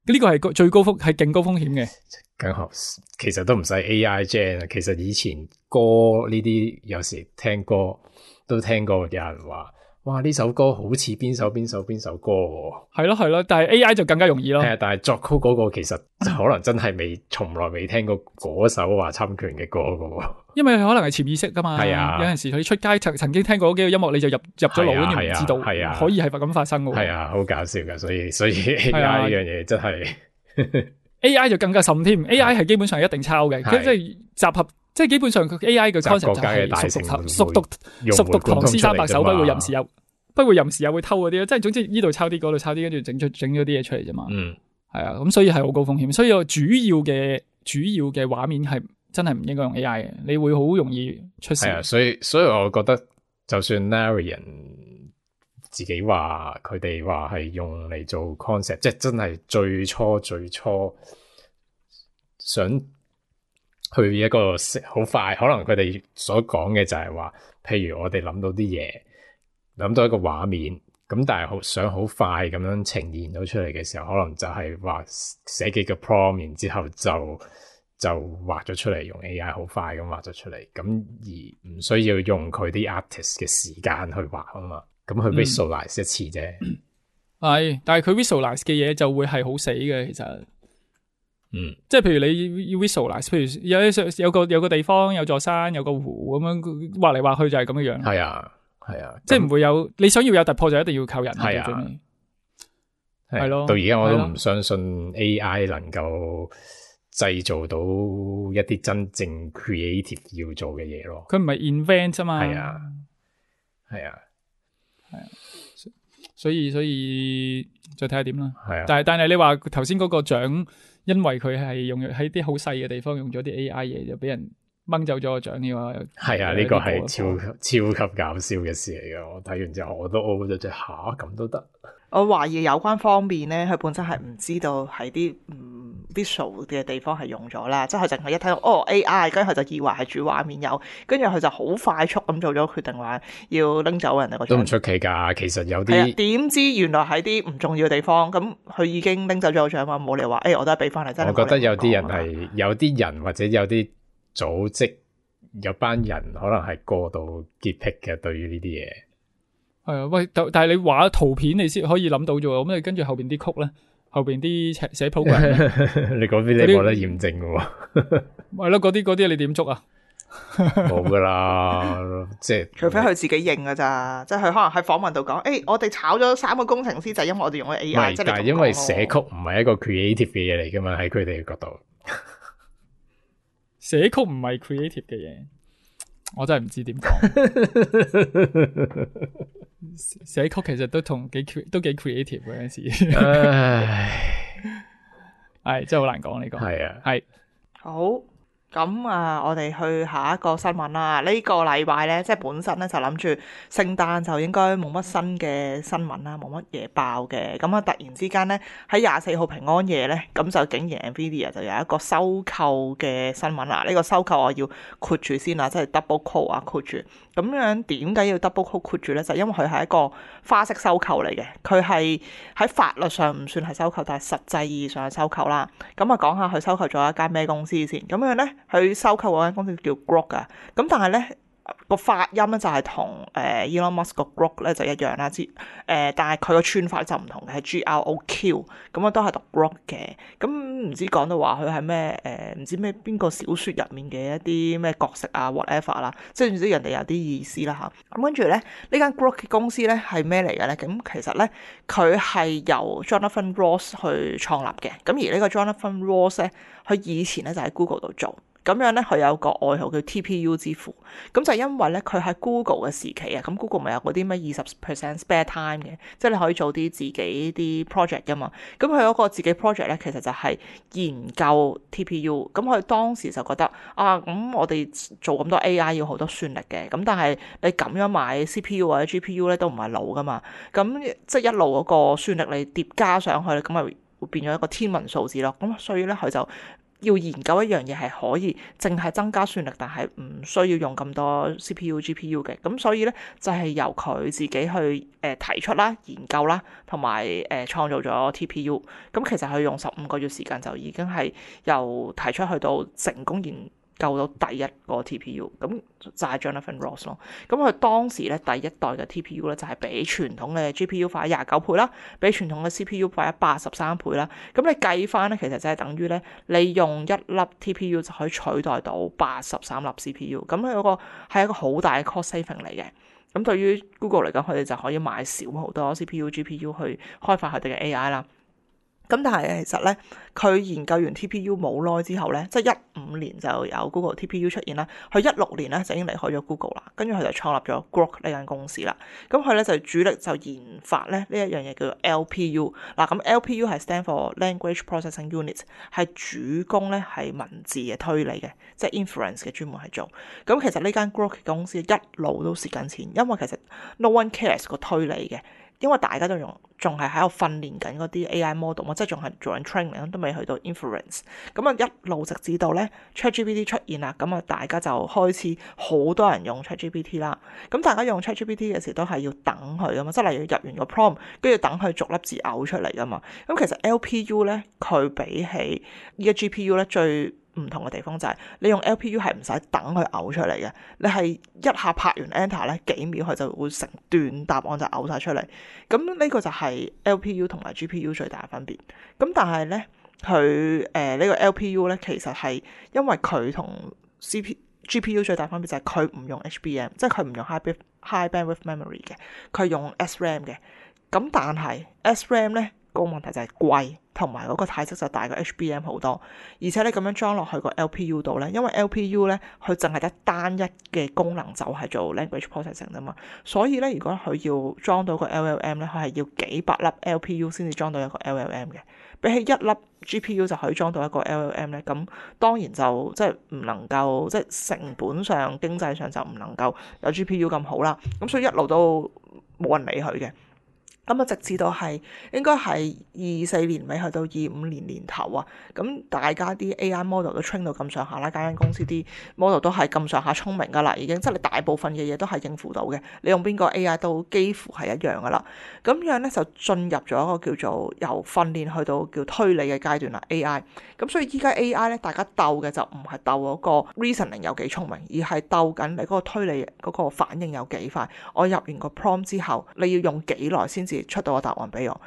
呢個係最高係勁高風險嘅。更好，其實都唔使 AI gen， 其實以前歌呢啲有時聽歌都聽過有人話，哇呢首歌好似邊首歌喎。係咯，但係 AI 就更加容易咯。係啊，但係作曲嗰個其實可能真係從來未聽過嗰首話侵權嘅歌噶喎。因為可能係潛意識噶嘛。係啊，有陣時佢出街曾經聽過嗰幾個音樂，你就入咗腦，跟住唔知道。係啊，可以係咁發生噶。係啊，好搞笑噶，所以 AI 呢樣嘢真係。AI 就更加甚添 ，AI 係基本上一定抄嘅，即係集合，即係基本上佢 AI 嘅 concept 就係熟讀唐詩三百首，不會吟時又會偷嗰啲，即係總之呢度抄啲，嗰度抄啲，跟住整咗啲嘢出嚟啫嘛。係啊，咁所以係好高風險，所以主要嘅畫面係真係唔應該用 AI 嘅，你會好容易出事。係啊，所以我覺得就算 Larian自己話佢哋話係用嚟做 concept， 即係真係最初想去一個好快，可能佢哋所講嘅就係話，譬如我哋諗到啲嘢，諗到一個畫面，咁但係想好快咁樣呈現到出嚟嘅時候，可能就係話寫幾個 prompt， 然之後就畫咗出嚟，用 AI 好快咁畫咗出嚟，咁而唔需要用佢啲 artist 嘅時間去畫啊嘛。咁佢 visualize 一次啫，係，但係佢 visualize 嘅嘢就會係好死嘅，其實，即係譬如你要 visualize，譬如有個地方有座山有個湖咁樣畫嚟畫去就係咁樣樣，係啊，即係唔會有你想要有突破就一定要靠人，係啊，係咯，到而家我都唔相信 AI 能夠製造到一啲真正 creative 要做嘅嘢咯，佢唔係 invent 啫嘛，係啊。係啊，所以再睇下點啦。係啊，但係你話頭先嗰個獎，因為佢係用喺啲好細嘅地方用咗啲 AI 嘢，就俾人掹走咗個獎嘅話，係啊，呢個係超級搞笑嘅事嚟嘅。我睇完之後我都 O 咗隻下，咁都得。我懷疑有關方面咧，佢本身係唔知道喺啲visual 嘅地方係用咗啦，即係佢淨係一睇到AI，跟住佢就以為係主畫面有，跟住佢就好快速咁做咗決定話要拎走人哋個獎。都唔出奇㗎，其實有啲點知原來喺啲唔重要嘅地方，咁佢已經拎走咗個獎嘛，冇理由話我都係俾翻你。真係我覺得有啲人係有啲人或者有啲組織有班人可能係過度潔癖嘅，對於呢啲嘢。係啊，喂，但係你畫圖片你先可以諗到啫喎，咁你跟住後邊啲曲咧，後邊啲寫 program， 你嗰邊你冇得驗證嘅喎，係咯，嗰啲你點捉啊？冇噶啦，即係除非佢自己認噶咋，即係佢可能喺訪問度講，我哋炒咗3個工程師就係因為我哋用咗 AI，但係因為寫曲唔係一個 creative 嘅嘢嚟噶嘛，喺佢哋嘅角度，寫曲唔係 creative 嘅嘢，我真係唔知點講。寫曲其實都幾 creative 嗰陣時，係真係好難講呢個。係啊，係好。咁我哋去下一個新聞啦。呢個禮拜咧，即係本身咧就諗住聖誕就應該冇乜新嘅新聞啦，冇乜嘢爆嘅。咁突然之間咧喺24號平安夜咧，咁就竟然 Nvidia 就有一個收購嘅新聞啦。呢個收購我要括住先啦，即係 double quote 啊，括住。咁樣點解要 double quote 括住咧？就因為佢係一個花式收購嚟嘅，佢係喺法律上唔算係收購，但係實際意義上係收購啦。咁講下佢收購咗一間咩公司先。咁樣咧，佢收購嗰間公司叫 Grok 啊。咁但係咧，個發音咧就係同Elon Musk 個 Grok 咧就一樣啦，但係佢個串法就唔同嘅，係 GROQ，咁啊都係讀 Grok 嘅。咁唔知講到話佢係咩唔知咩邊個小説入面嘅一啲咩角色啊 whatever 啦，即係唔知人哋有啲意思啦嚇。咁跟住咧呢間 Grok 公司咧係咩嚟嘅咧？咁其實咧佢係由 Jonathan Ross 去創立嘅。咁而呢個 Jonathan Ross 咧，佢以前咧就喺 Google 度做。咁樣咧，佢有個外號叫 TPU 之父，咁就因為咧佢喺 Google 嘅時期啊，咁 Google 咪有嗰啲咩20% spare time 嘅，即係你可以做啲自己啲 project 噶嘛。咁佢嗰個自己 project 咧，其實就係研究 TPU。咁佢當時就覺得啊，咁我哋做咁多 AI 要好多算力嘅，咁但係你咁樣買 CPU 或者 GPU 咧都唔係路噶嘛。咁即係一路嗰個算力你疊加上去咧，咁咪會變咗一個天文數字咯。咁所以咧佢就要研究一樣嘢係可以淨係增加算力，但係唔需要用咁多 CPU、GPU 嘅。咁所以咧就係由佢自己去提出啦、研究啦，同埋創造咗 TPU。咁其實佢用15個月時間就已經係由提出去到成功研究到第一個 TPU，咁就係 Jonathan Ross 咯。咁佢當時咧第一代嘅 TPU 咧就係比傳統嘅 GPU 快29倍啦，比傳統嘅 CPU 快83倍啦。咁你計翻咧，其實就係等於咧你用一粒 TPU 就可以取代到83粒 CPU。咁佢嗰個係一個好大嘅 cost saving 嚟嘅。咁對於 Google 嚟講，佢哋就可以買少好多 CPU、GPU 去開發佢哋嘅 AI 啦。咁但係其實咧，佢研究完 TPU 冇耐之後咧，即係15年就有 Google TPU 出現啦。佢16年咧就已經離開咗 Google 啦，跟住佢就創立咗 Grok 呢間公司啦。咁佢咧就主力就研發咧呢一樣嘢叫做 LPU。嗱，咁 LPU 係 stand for Language Processing Unit， 係主攻咧係文字嘅推理嘅，即係 inference 嘅專門係做。咁其實呢間 Grok 公司一路都蝕緊錢，因為其實 no one cares 個推理嘅。因為大家都仲係喺度訓練緊嗰啲 AI model 嘛，即係仲係做緊 training，都未去到 inference。咁啊一路直至到咧 ChatGPT 出現啦，咁啊大家就開始好多人用 ChatGPT 啦。咁大家用 ChatGPT 嘅時都係要等佢噶嘛，即係例如入完個 prompt，跟住等佢逐粒字嘔出嚟噶嘛。咁其實 LPU 咧，佢比起依家 GPU 咧最唔同嘅地方就係你用 LPU 係唔使等佢嘔出嚟嘅，你係一下拍完 enter 咧幾秒佢就會成段答案就嘔晒出嚟。咁呢個就係 LPU 同埋 GPU 最大嘅分別。咁但係咧佢呢個 LPU 咧其實係因為佢同 GPU 最大分別就係佢唔用 HBM， 即係佢唔用 high bandwidth memory 嘅，佢用 SRAM 嘅。咁但係 SRAM 咧個問題就係貴，同埋嗰個體積就大過 HBM 好多，而且你咁樣裝落去個 LPU 度咧，因為 LPU 咧佢淨係得單一嘅功能就係做 language processing 啫嘛，所以咧如果佢要裝到個 LLM 咧，佢係要幾百粒 LPU 先至裝到一個 LLM 嘅，比起一粒 GPU 就可以裝到一個 LLM 咧，咁當然就即係唔能夠，即係成本上經濟上就唔能夠有 GPU 咁好啦，咁所以一路都冇人理佢嘅。咁啊，直至到係應該係24年尾去到25年年頭啊，咁大家啲 AI model 都 train 到咁上下啦，間公司啲 model 都係咁上下聰明噶啦，已經即係你大部分嘅嘢都係應付到嘅，你用邊個 AI 都幾乎係一樣噶啦。咁樣咧就進入咗一個叫做由訓練去到叫推理嘅階段啦 AI。咁所以依家 AI 咧，大家鬥嘅就唔係鬥嗰個 reasoning 有幾聰明，而係鬥緊你嗰個推理嗰個反應有幾快。我入完個 prompt 之後，你要用幾耐先至出到個答案俾我？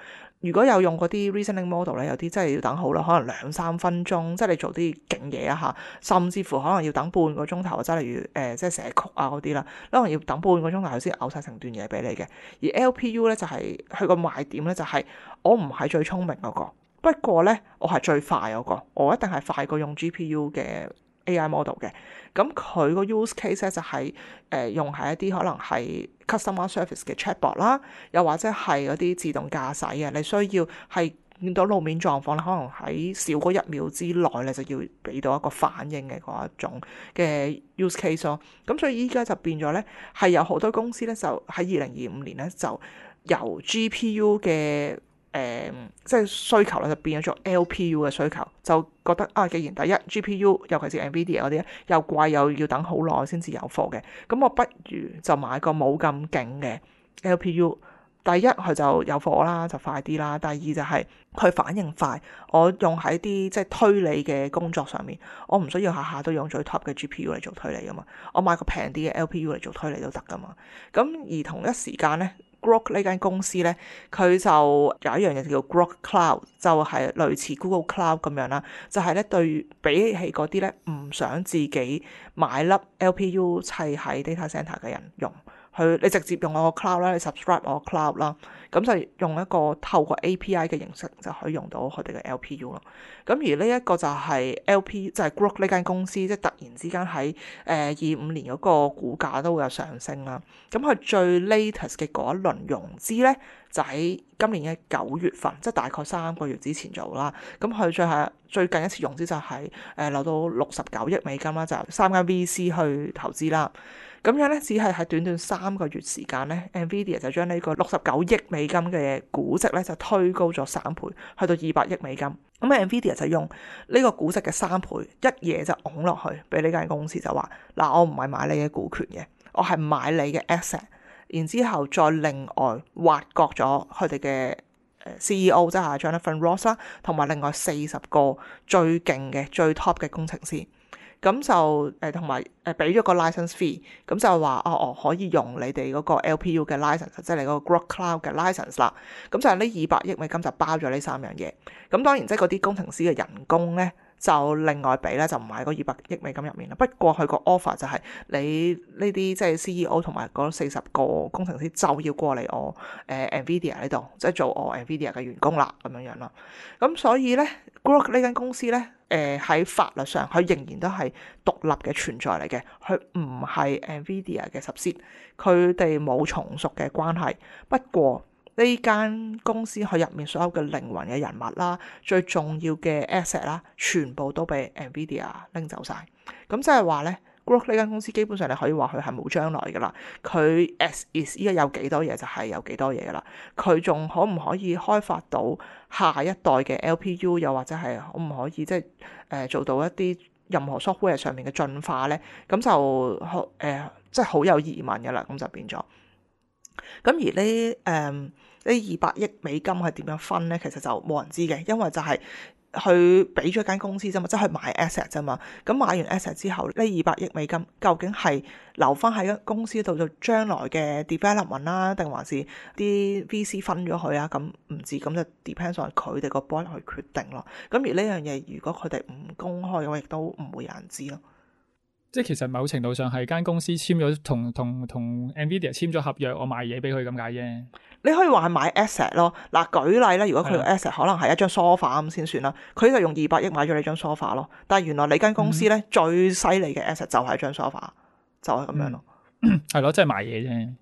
如果有用嗰啲 reasoning model 咧，有啲真係要等好啦，可能2-3分鐘，即係你做啲勁嘢啊嚇，甚至乎可能要等半個鐘頭，即係例如即係寫曲啊嗰啲啦，可能要等半個鐘頭先嘔晒成段嘢俾你嘅。而 LPU 咧就係佢個賣點咧，就係我唔係最聰明嗰個，不過咧我係最快嗰個，我一定係快過用 GPU 嘅 AI model 嘅。咁佢個 use case 咧就係用喺一啲可能係 customer service 嘅 chatbot 啦，又或者係嗰啲自動駕駛嘅，你需要係見到路面狀況咧，可能喺少過1秒之內咧就要俾到一個反應嘅嗰一種嘅 use case 咯。咁所以依家就變咗咧，係有好多公司咧就喺2025年咧就由 GPU 嘅即係需求咧就變咗做 LPU 嘅需求，就覺得啊，既然第一 GPU 尤其是 NVIDIA 嗰啲咧又貴又要等好耐先至有貨嘅，咁我不如就買個冇咁勁嘅 LPU，第一佢就有貨啦，就快啲啦。第二就係佢反應快，我用喺啲即係推理嘅工作上面，我唔需要下下都用最 top 嘅 GPU 嚟做推理噶嘛，我買個平啲嘅 LPU 嚟做推理都得噶嘛。咁而同一時間咧，Groq 呢間公司咧，佢就有一樣嘢叫 Groq Cloud， 就係類似 Google Cloud 咁樣啦，就係咧對比起嗰啲咧唔想自己買粒 LPU 砌喺 data center 嘅人用。你直接用我個 cloud 啦，你 subscribe 我個 cloud 啦，咁就用一個透過 API 嘅形式就可以用到佢哋嘅 LPU 咯。咁而呢一個就係 LP， 就係 Groq 呢間公司，即係突然之間喺25年嗰個股價都會有上升啦。咁佢最 latest 嘅嗰一輪融資咧，就喺今年嘅9月份，即係大概3個月之前做啦。咁佢最近一次融資就係攞到69億美金啦，就3間 VC 去投資啦。咁樣咧，只係喺短短3個月時間咧 ，NVIDIA 就將呢個69億美金嘅估值咧就推高咗3倍，去到200億美金。咁 NVIDIA 就用呢個估值嘅3倍，一嘢就拱落去，俾呢間公司就話：嗱，我唔係買你嘅股權嘅，我係買你嘅 asset， 然之後再另外挖角咗佢哋嘅CEO， 即係 Jonathan Ross 啦，同埋另外40個最勁嘅最 top 嘅工程師。咁就同埋俾咗個 license fee， 咁就話我可以用你哋嗰個 LPU 嘅 license， 即係你嗰個 Groq Cloud 嘅 license 啦。咁就係呢200億美金就包咗呢3樣嘢。咁當然即係嗰啲工程師嘅人工咧，就另外俾咧，就唔係嗰200億美金入面啦。不過佢個 offer 就係你呢啲即係 CEO 同埋嗰40個工程師就要過嚟我NVIDIA 呢度，即係做我 NVIDIA 嘅員工啦，咁樣樣啦。咁所以咧 Groq 呢間公司咧，喺法律上佢仍然都係獨立嘅存在嚟嘅，佢唔係 NVIDIA 嘅 subsidiary，佢哋冇從屬嘅關係。不過呢間公司佢入面所有嘅靈魂嘅人物啦，最重要嘅 asset 啦，全部都俾 NVIDIA 拎走晒。咁即係話咧，Groq 呢間公司基本上你可以話佢係冇將來噶啦。佢 as is 依家有幾多嘢就係有幾多嘢噶啦。佢仲可唔可以開發到下一代嘅 LPU， 又或者係可唔可以即係做到一啲任何 software 上面嘅進化咧？咁就即係好有疑問噶啦。咁就變咗。咁而呢200億美金係點樣分咧？其實就冇人知嘅，因為就係佢俾咗間公司啫嘛，即係買 asset 啫嘛。咁買完 asset 之後，呢200億美金究竟係留翻喺間公司度做將來嘅 development 啦，定還是啲 VC 分咗佢啊？咁唔知，咁就 depends on 佢哋個 board 去決定咯。咁而呢樣嘢，如果佢哋唔公開嘅話，亦都唔會有人知咯。即係其實某程度上係間公司簽咗同 NVIDIA 簽咗合約，我賣嘢俾佢咁解啫。你可以話係買 asset 咯。嗱，舉例咧，如果佢個 asset 可能係一張 sofa 咁先算啦，佢就用200億買咗你張 sofa 咯。但係原來你間公司咧最犀利嘅 asset 就係張 sofa，就係咁樣咯。係咯，即係賣嘢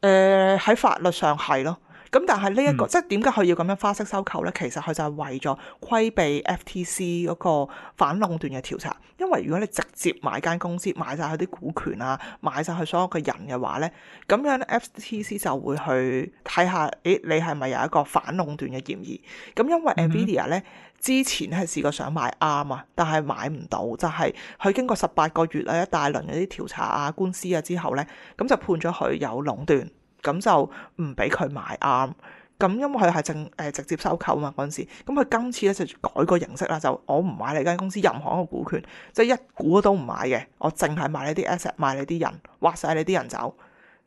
啫。喺法律上係咯。咁但係呢一個即係點解佢要咁樣花式收購咧？其實佢就係為咗規避 FTC 嗰個反壟斷嘅調查。因為如果你直接買間公司，買晒佢啲股權啊，買晒佢所有嘅人嘅話咧，咁樣 FTC 就會去睇下，你係咪有一個反壟斷嘅嫌疑？咁因為 NVIDIA 咧之前係試過想買啱啊，但係買唔到，就係佢經過18個月啊一大輪嗰啲調查啊官司啊之後咧，咁就判咗佢有壟斷。咁就唔俾佢買啱，咁因為佢係直接收購嘛嗰陣時，咁佢今次咧就改個形式啦，就我唔買你間公司任何一個股權，即係一股都唔買嘅，我淨係買你啲 asset， 買你啲人，挖晒你啲人走，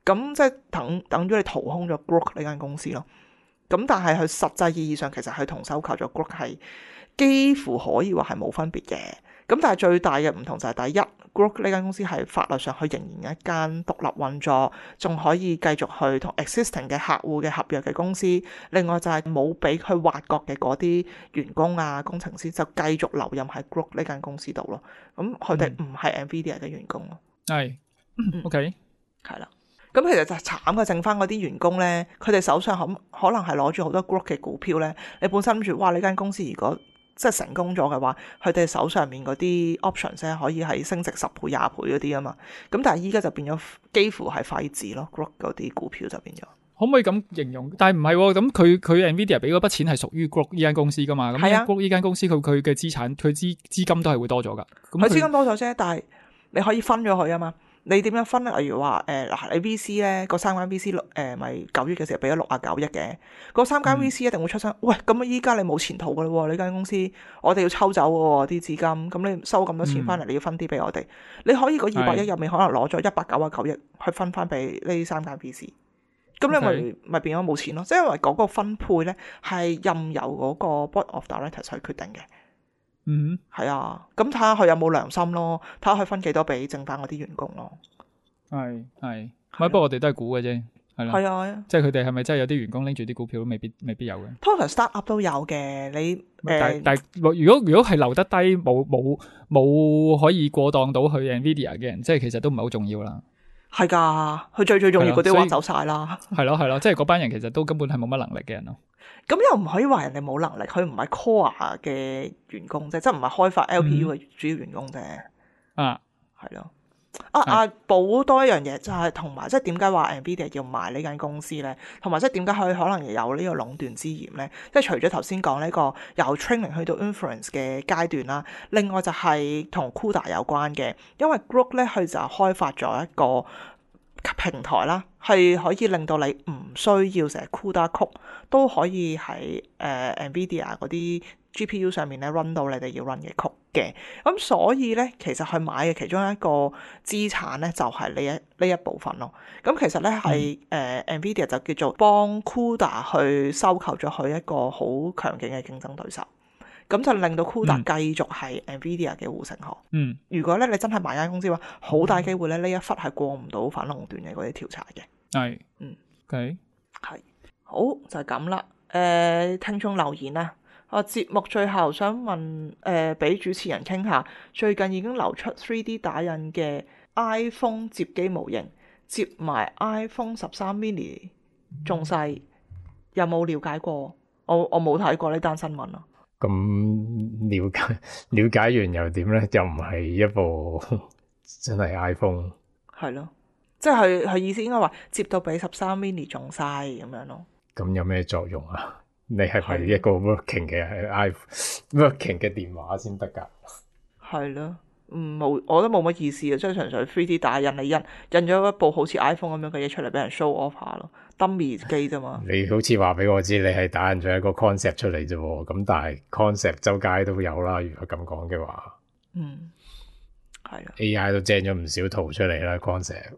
咁即係等咗你掏空咗 Groq 呢間公司咯。咁但係佢實際意義上其實佢同收購咗 Groq 係幾乎可以話係冇分別嘅。咁但係最大嘅唔同就係第一，Groq 呢間公司係法律上佢仍然一間獨立運作，仲可以繼續去同 existing 嘅客戶嘅合約嘅公司。另外就係冇俾佢挖角嘅嗰啲員工啊、工程師就繼續留任喺 Groq 呢間公司度咯。咁佢哋唔係 NVIDIA 嘅員工咯。係，OK，係啦。咁其實就慘嘅，剩翻嗰啲員工咧，佢哋手上可能係攞住好多 Groq 嘅股票咧。你本身諗住，哇！呢間公司如果即係成功咗嘅話，佢哋手上面嗰啲 options 咧可以係升值10倍、20倍嗰啲啊嘛。咁但係依家就變咗幾乎係廢紙咯 ，Groq 嗰啲股票就變咗。可唔可以咁形容？但係唔係喎，咁佢 NVIDIA 俾嗰筆錢係屬於 Groq 呢間公司噶嘛？咁 Groq 呢間公司佢嘅資產佢資金都係會多咗噶。佢資金多咗啫，但係你可以分咗佢啊嘛。你點樣分咧？例如話嗱，你 VC 咧嗰3間 VC 咪9月嘅時候俾咗69億嘅，嗰3間 VC 一定會出聲，喂，咁依家你冇前途噶啦喎，你間公司我哋要抽走喎啲資金，咁你收咁多錢翻嚟，你要分啲俾我哋，你可以嗰200億入面可能攞咗199億去分翻俾呢3間 VC。咁你咪變咗冇錢咯，即係因為嗰個分配咧係任由嗰個 board of directors 去決定嘅。嗯，係啊，咁睇下佢有冇良心咯，睇下佢分幾多俾剩翻嗰啲員工咯。係，不過我哋都係估嘅啫，係啦。係啊，即係佢哋係咪真係有啲員工拎住啲股票都未必有嘅。通常 start up 都有嘅，你但如果係留得低冇可以過檔到去 Nvidia 嘅人，即係其實都唔係好重要啦。係㗎，佢最重要嗰啲挖走晒啦。係咯，即係嗰班人其實都根本係冇乜能力嘅人咯。咁又唔可以話人哋冇能力，佢唔係 core 嘅員工啫，即係唔係開發 LPU 嘅主要員工啫。係咯。補多一樣嘢就係同埋，即係點解話 Nvidia 要買呢間公司咧？同埋即係點解佢可能有呢個壟斷之嫌咧？即係除咗頭先講呢個由 training 去到 inference 嘅階段啦，另外就係同 CUDA 有關嘅，因為 Groq 咧佢就開發咗一個平台啦，係可以令到你唔需要成日 CUDA code 都可以喺Nvidia 嗰啲 GPU 上面咧 run 到你哋要 run 嘅 code 嘅。咁所以咧，其實佢買嘅其中一個資產咧就係呢一部分咯。咁其實咧係Nvidia 就叫做幫 CUDA 去收購咗佢一個好強勁嘅競爭對手。咁就令到 CUDA 繼續係 Nvidia 嘅護城河。如果咧你真係買間公司嘅話，好大機會咧呢一忽係過唔到反壟斷嘅嗰啲調查嘅。係，OK，係好就係咁啦。聽眾留言啊，節目最後想問俾主持人傾下，最近已經流出 3D 打印嘅 iPhone 摺機模型，摺埋 iPhone 13 mini 仲細，有冇了解過？我冇睇過呢單新聞啊。咁了解完又點咧？又唔係一部真係 iPhone。係咯，即係佢意思應該話接到比13 mini 仲細咁樣咯。咁有咩作用啊？你係咪一個 working 嘅 working 嘅電話先得㗎？係咯，冇，我覺得冇乜意思啊，即係純粹 3D 打印你印咗一部好似 iPhone 咁樣嘅嘢出嚟俾人 show off 下咯。dummy 機啫嘛，你好似話俾我知，你係打印咗一個 concept 出嚟啫喎，咁但係 concept 周街都有啦。如果咁講嘅話，係啊 AI 都 gen 咗唔少圖出嚟啦 concept。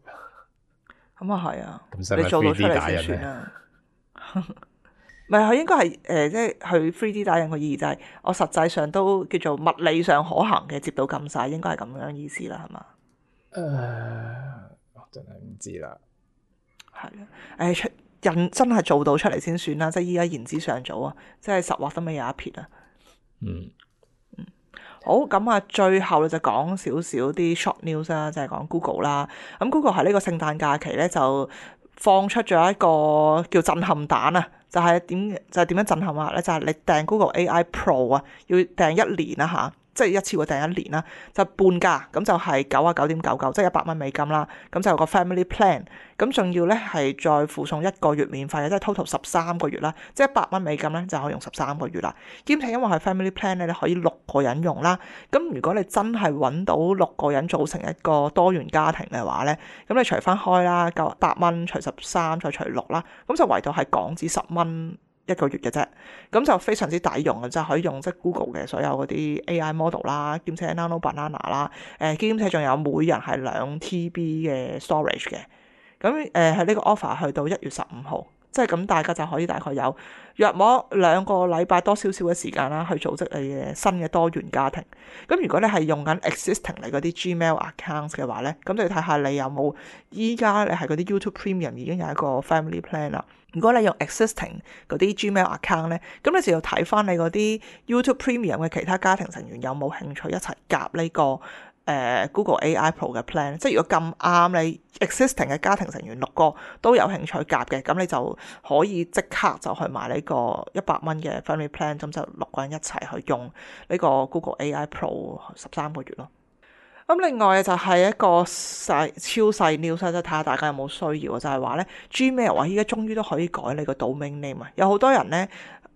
咁啊係啊，咁使唔使 3D 打印咧？唔係佢應該係即係佢 3D 打印個意義就係我實際上都叫做物理上可行嘅，接到咁晒，應該係咁樣意思啦，係嘛？我真係唔知啦。係啊，人真係做到出嚟先算啦，即係依家言之尚早啊，即係實畫都未有一撇啊。好，咁啊，最後咧就講少少啲 short news 啦，就係講 Google 啦。咁 Google 喺呢個聖誕假期咧就放出咗一個叫震撼彈啊，就係點樣震撼啊咧？就係你訂 Google AI Pro 啊，要訂1年啦嚇。即係一次過訂1年啦，就半價，咁就係99.99，即係100蚊美金啦。咁就有個 family plan，咁仲要咧係再附送1個月免費嘅，即係 total 13個月啦。即係100蚊美金咧就可以用13個月啦。兼且因為係 family plan 咧，你可以6個人用啦。咁如果你真係揾到6個人組成一個多元家庭嘅話咧，咁你除翻開啦，900蚊除13再除6啦，咁就圍到係港紙10蚊1個月嘅啫，咁就非常之抵用嘅，就可以用即係 Google 嘅所有嗰啲 AI model 啦，兼且 Nano Banana 啦，兼且仲有每人係2 TB 嘅 storage 嘅，咁喺呢個 offer 去到1月15號，即係咁大家就可以大概有約莫2個禮拜多少少嘅時間啦，去組織你嘅新嘅多元家庭。咁如果你係用緊 existing 你嗰啲 Gmail accounts 嘅話咧，咁就要睇下你有冇依家你係嗰啲 YouTube Premium 已經有一個 family plan 啦。如果你用 existing 嗰啲 Gmail account 咧，咁你就要睇翻你嗰啲 YouTube Premium 嘅其他家庭成員有冇興趣一齊夾呢個Google AI Pro 嘅 plan。即係如果咁啱你 existing 嘅家庭成員6個都有興趣夾嘅，咁你就可以即刻就去買呢個100蚊嘅 family plan，咁就6個人一齊去用呢個 Google AI Pro 13個月咯。咁另外就係一個超細 news，即係睇下大家有冇需要，就係話咧 Gmail 依家終於都可以改你個 domain name 啊！有好多人咧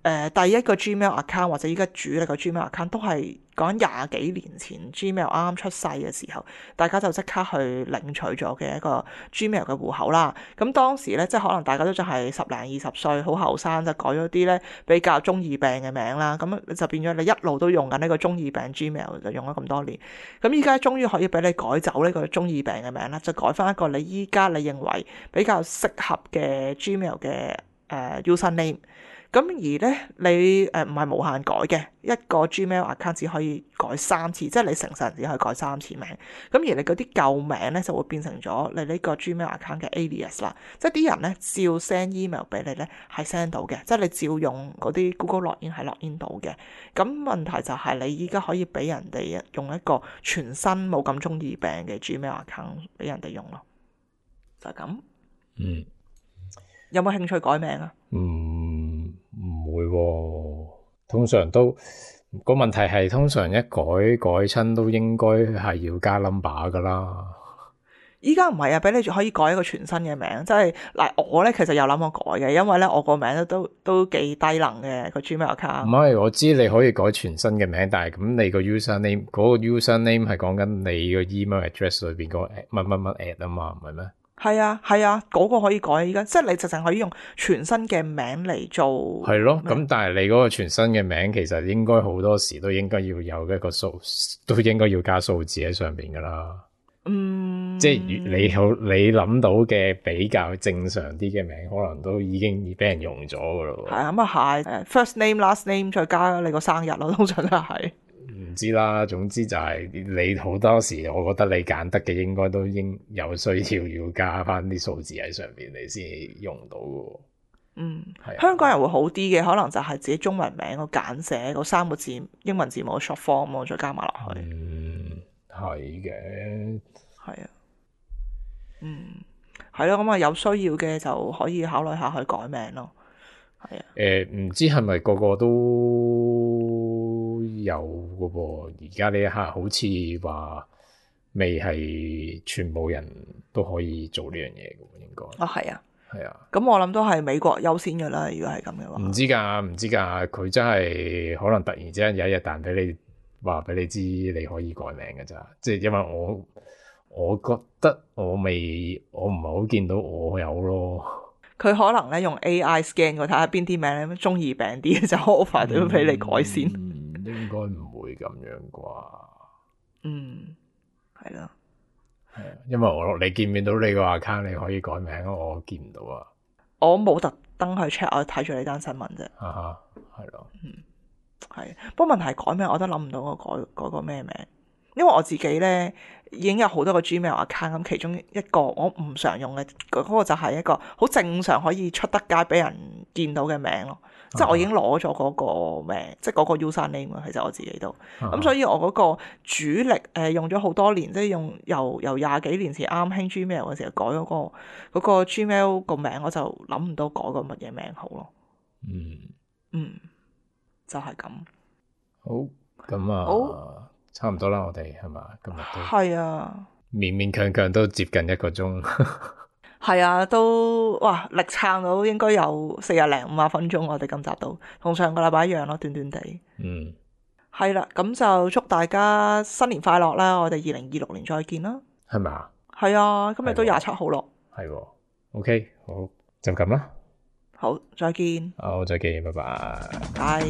第一個 Gmail account 或者依家主力個 Gmail account 都係講廿幾年前 Gmail 啱啱出世嘅時候，大家就即刻去領取咗嘅一個 Gmail 嘅戶口啦。咁當時咧，即係可能大家都仲係10零20歲，好後生，就改咗啲咧比較中二病嘅名啦。咁就變咗你一路都用緊呢個中二病 Gmail，就用咗咁多年。咁依家終於可以俾你改走呢個中二病嘅名啦，就改翻一個你依家你認為比較適合嘅 Gmail 嘅user name。咁而咧，你唔係無限改嘅，一個 Gmail account 只可以改3次，即係你成世人只可以改3次名。咁而你嗰啲舊名咧就會變成咗你呢個 Gmail account 嘅 alias 啦。即係啲人咧照 send email 俾你咧係 send 到嘅，即係你照用嗰啲 Google Login 係 login 到嘅。咁問題就係你依家可以俾人哋用一個全新冇咁中二病嘅 Gmail account 俾人哋用咯，就係咁。有冇興趣改名啊？唔會喎，通常都個問題係通常一改親都應該係要加 number 噶啦。依家唔係啊，俾你可以改一個全新嘅名，即係嗱我咧其實有諗過改嘅，因為咧我個名都幾低能嘅個 Gmail account。唔係，我知你可以改全新嘅名，但係咁你個 user name 嗰個 user name 係講緊你個 email address 裏邊個乜乜乜 at 啊嘛，唔係咩？係啊，嗰個可以改依家，即係你直情可以用全新嘅名嚟做。係咯，咁但係你嗰個全新嘅名其實應該好多時都應該要有一個數，都應該要加數字喺上邊噶啦。即係你諗到嘅比較正常啲嘅名，可能都已經俾人用咗噶咯。係啊，咁啊係，first name last name 再加你個生日咯，通常都係。唔知啦，總之就係你好多時，我覺得你揀得嘅應該都應有需要加翻啲數字喺上邊，你先用到嘅。係香港人會好啲嘅，可能就係自己中文名個簡寫個3個字英文字母 short form 再加埋落去。係嘅，係啊，係咯，咁啊有需要嘅就可以考慮下去改名咯。係啊，唔知係咪個個都有嘅噃？而家呢一刻好似話未係全部人都可以做呢樣嘢嘅，應該。係啊，係啊。咁我諗都係美國優先嘅啦。如果係咁嘅話，唔知㗎，佢真係可能突然之間有一日彈俾你，話俾你知你可以改名嘅咋。即係因為我覺得我唔係好見到我有咯。佢可能咧用 AI scan 我睇下邊啲名咧中二病啲就 offer 都俾你改先。應該唔會咁樣啩。係咯。係啊，因為你見唔見到你個 account 你可以改名，我見唔到啊。我冇特登去 check， 我睇住呢單新聞啫。係咯。係。不過問題係改名，我都諗唔到我改個咩名。因為我自己咧已經有好多個 Gmail account，咁其中一個我唔常用嘅嗰個就係一個好正常可以出得街俾人見到嘅名咯。即係我已經攞咗嗰個名，即係嗰個 user name 其實我自己都咁，所以我嗰個主力用咗好多年，即係用由20幾年前啱興 Gmail 嘅時候改嗰個 Gmail 個名，我就諗唔到改個乜嘢名好咯。就係咁。好，咁啊。好。差唔多啦，我哋係嘛？今日都係啊，勉勉強強都接近1個鐘。係啊，都哇力撐到應該有40零50分鐘，我哋今集都同上個禮拜一樣咯，短短地。係啦，咁就祝大家新年快樂啦！我哋2026年再見啦。係咪啊？係啊，今日都27號咯。係喎，OK，好，就咁啦。好，再見。好，再見，拜拜。拜。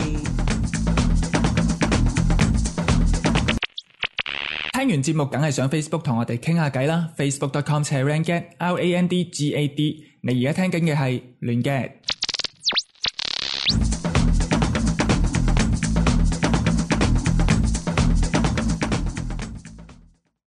聽完節目梗係上 Facebook 同我哋傾下偈啦，facebook.com/randgad，RANDGAD。你而家聽緊嘅係亂 gad。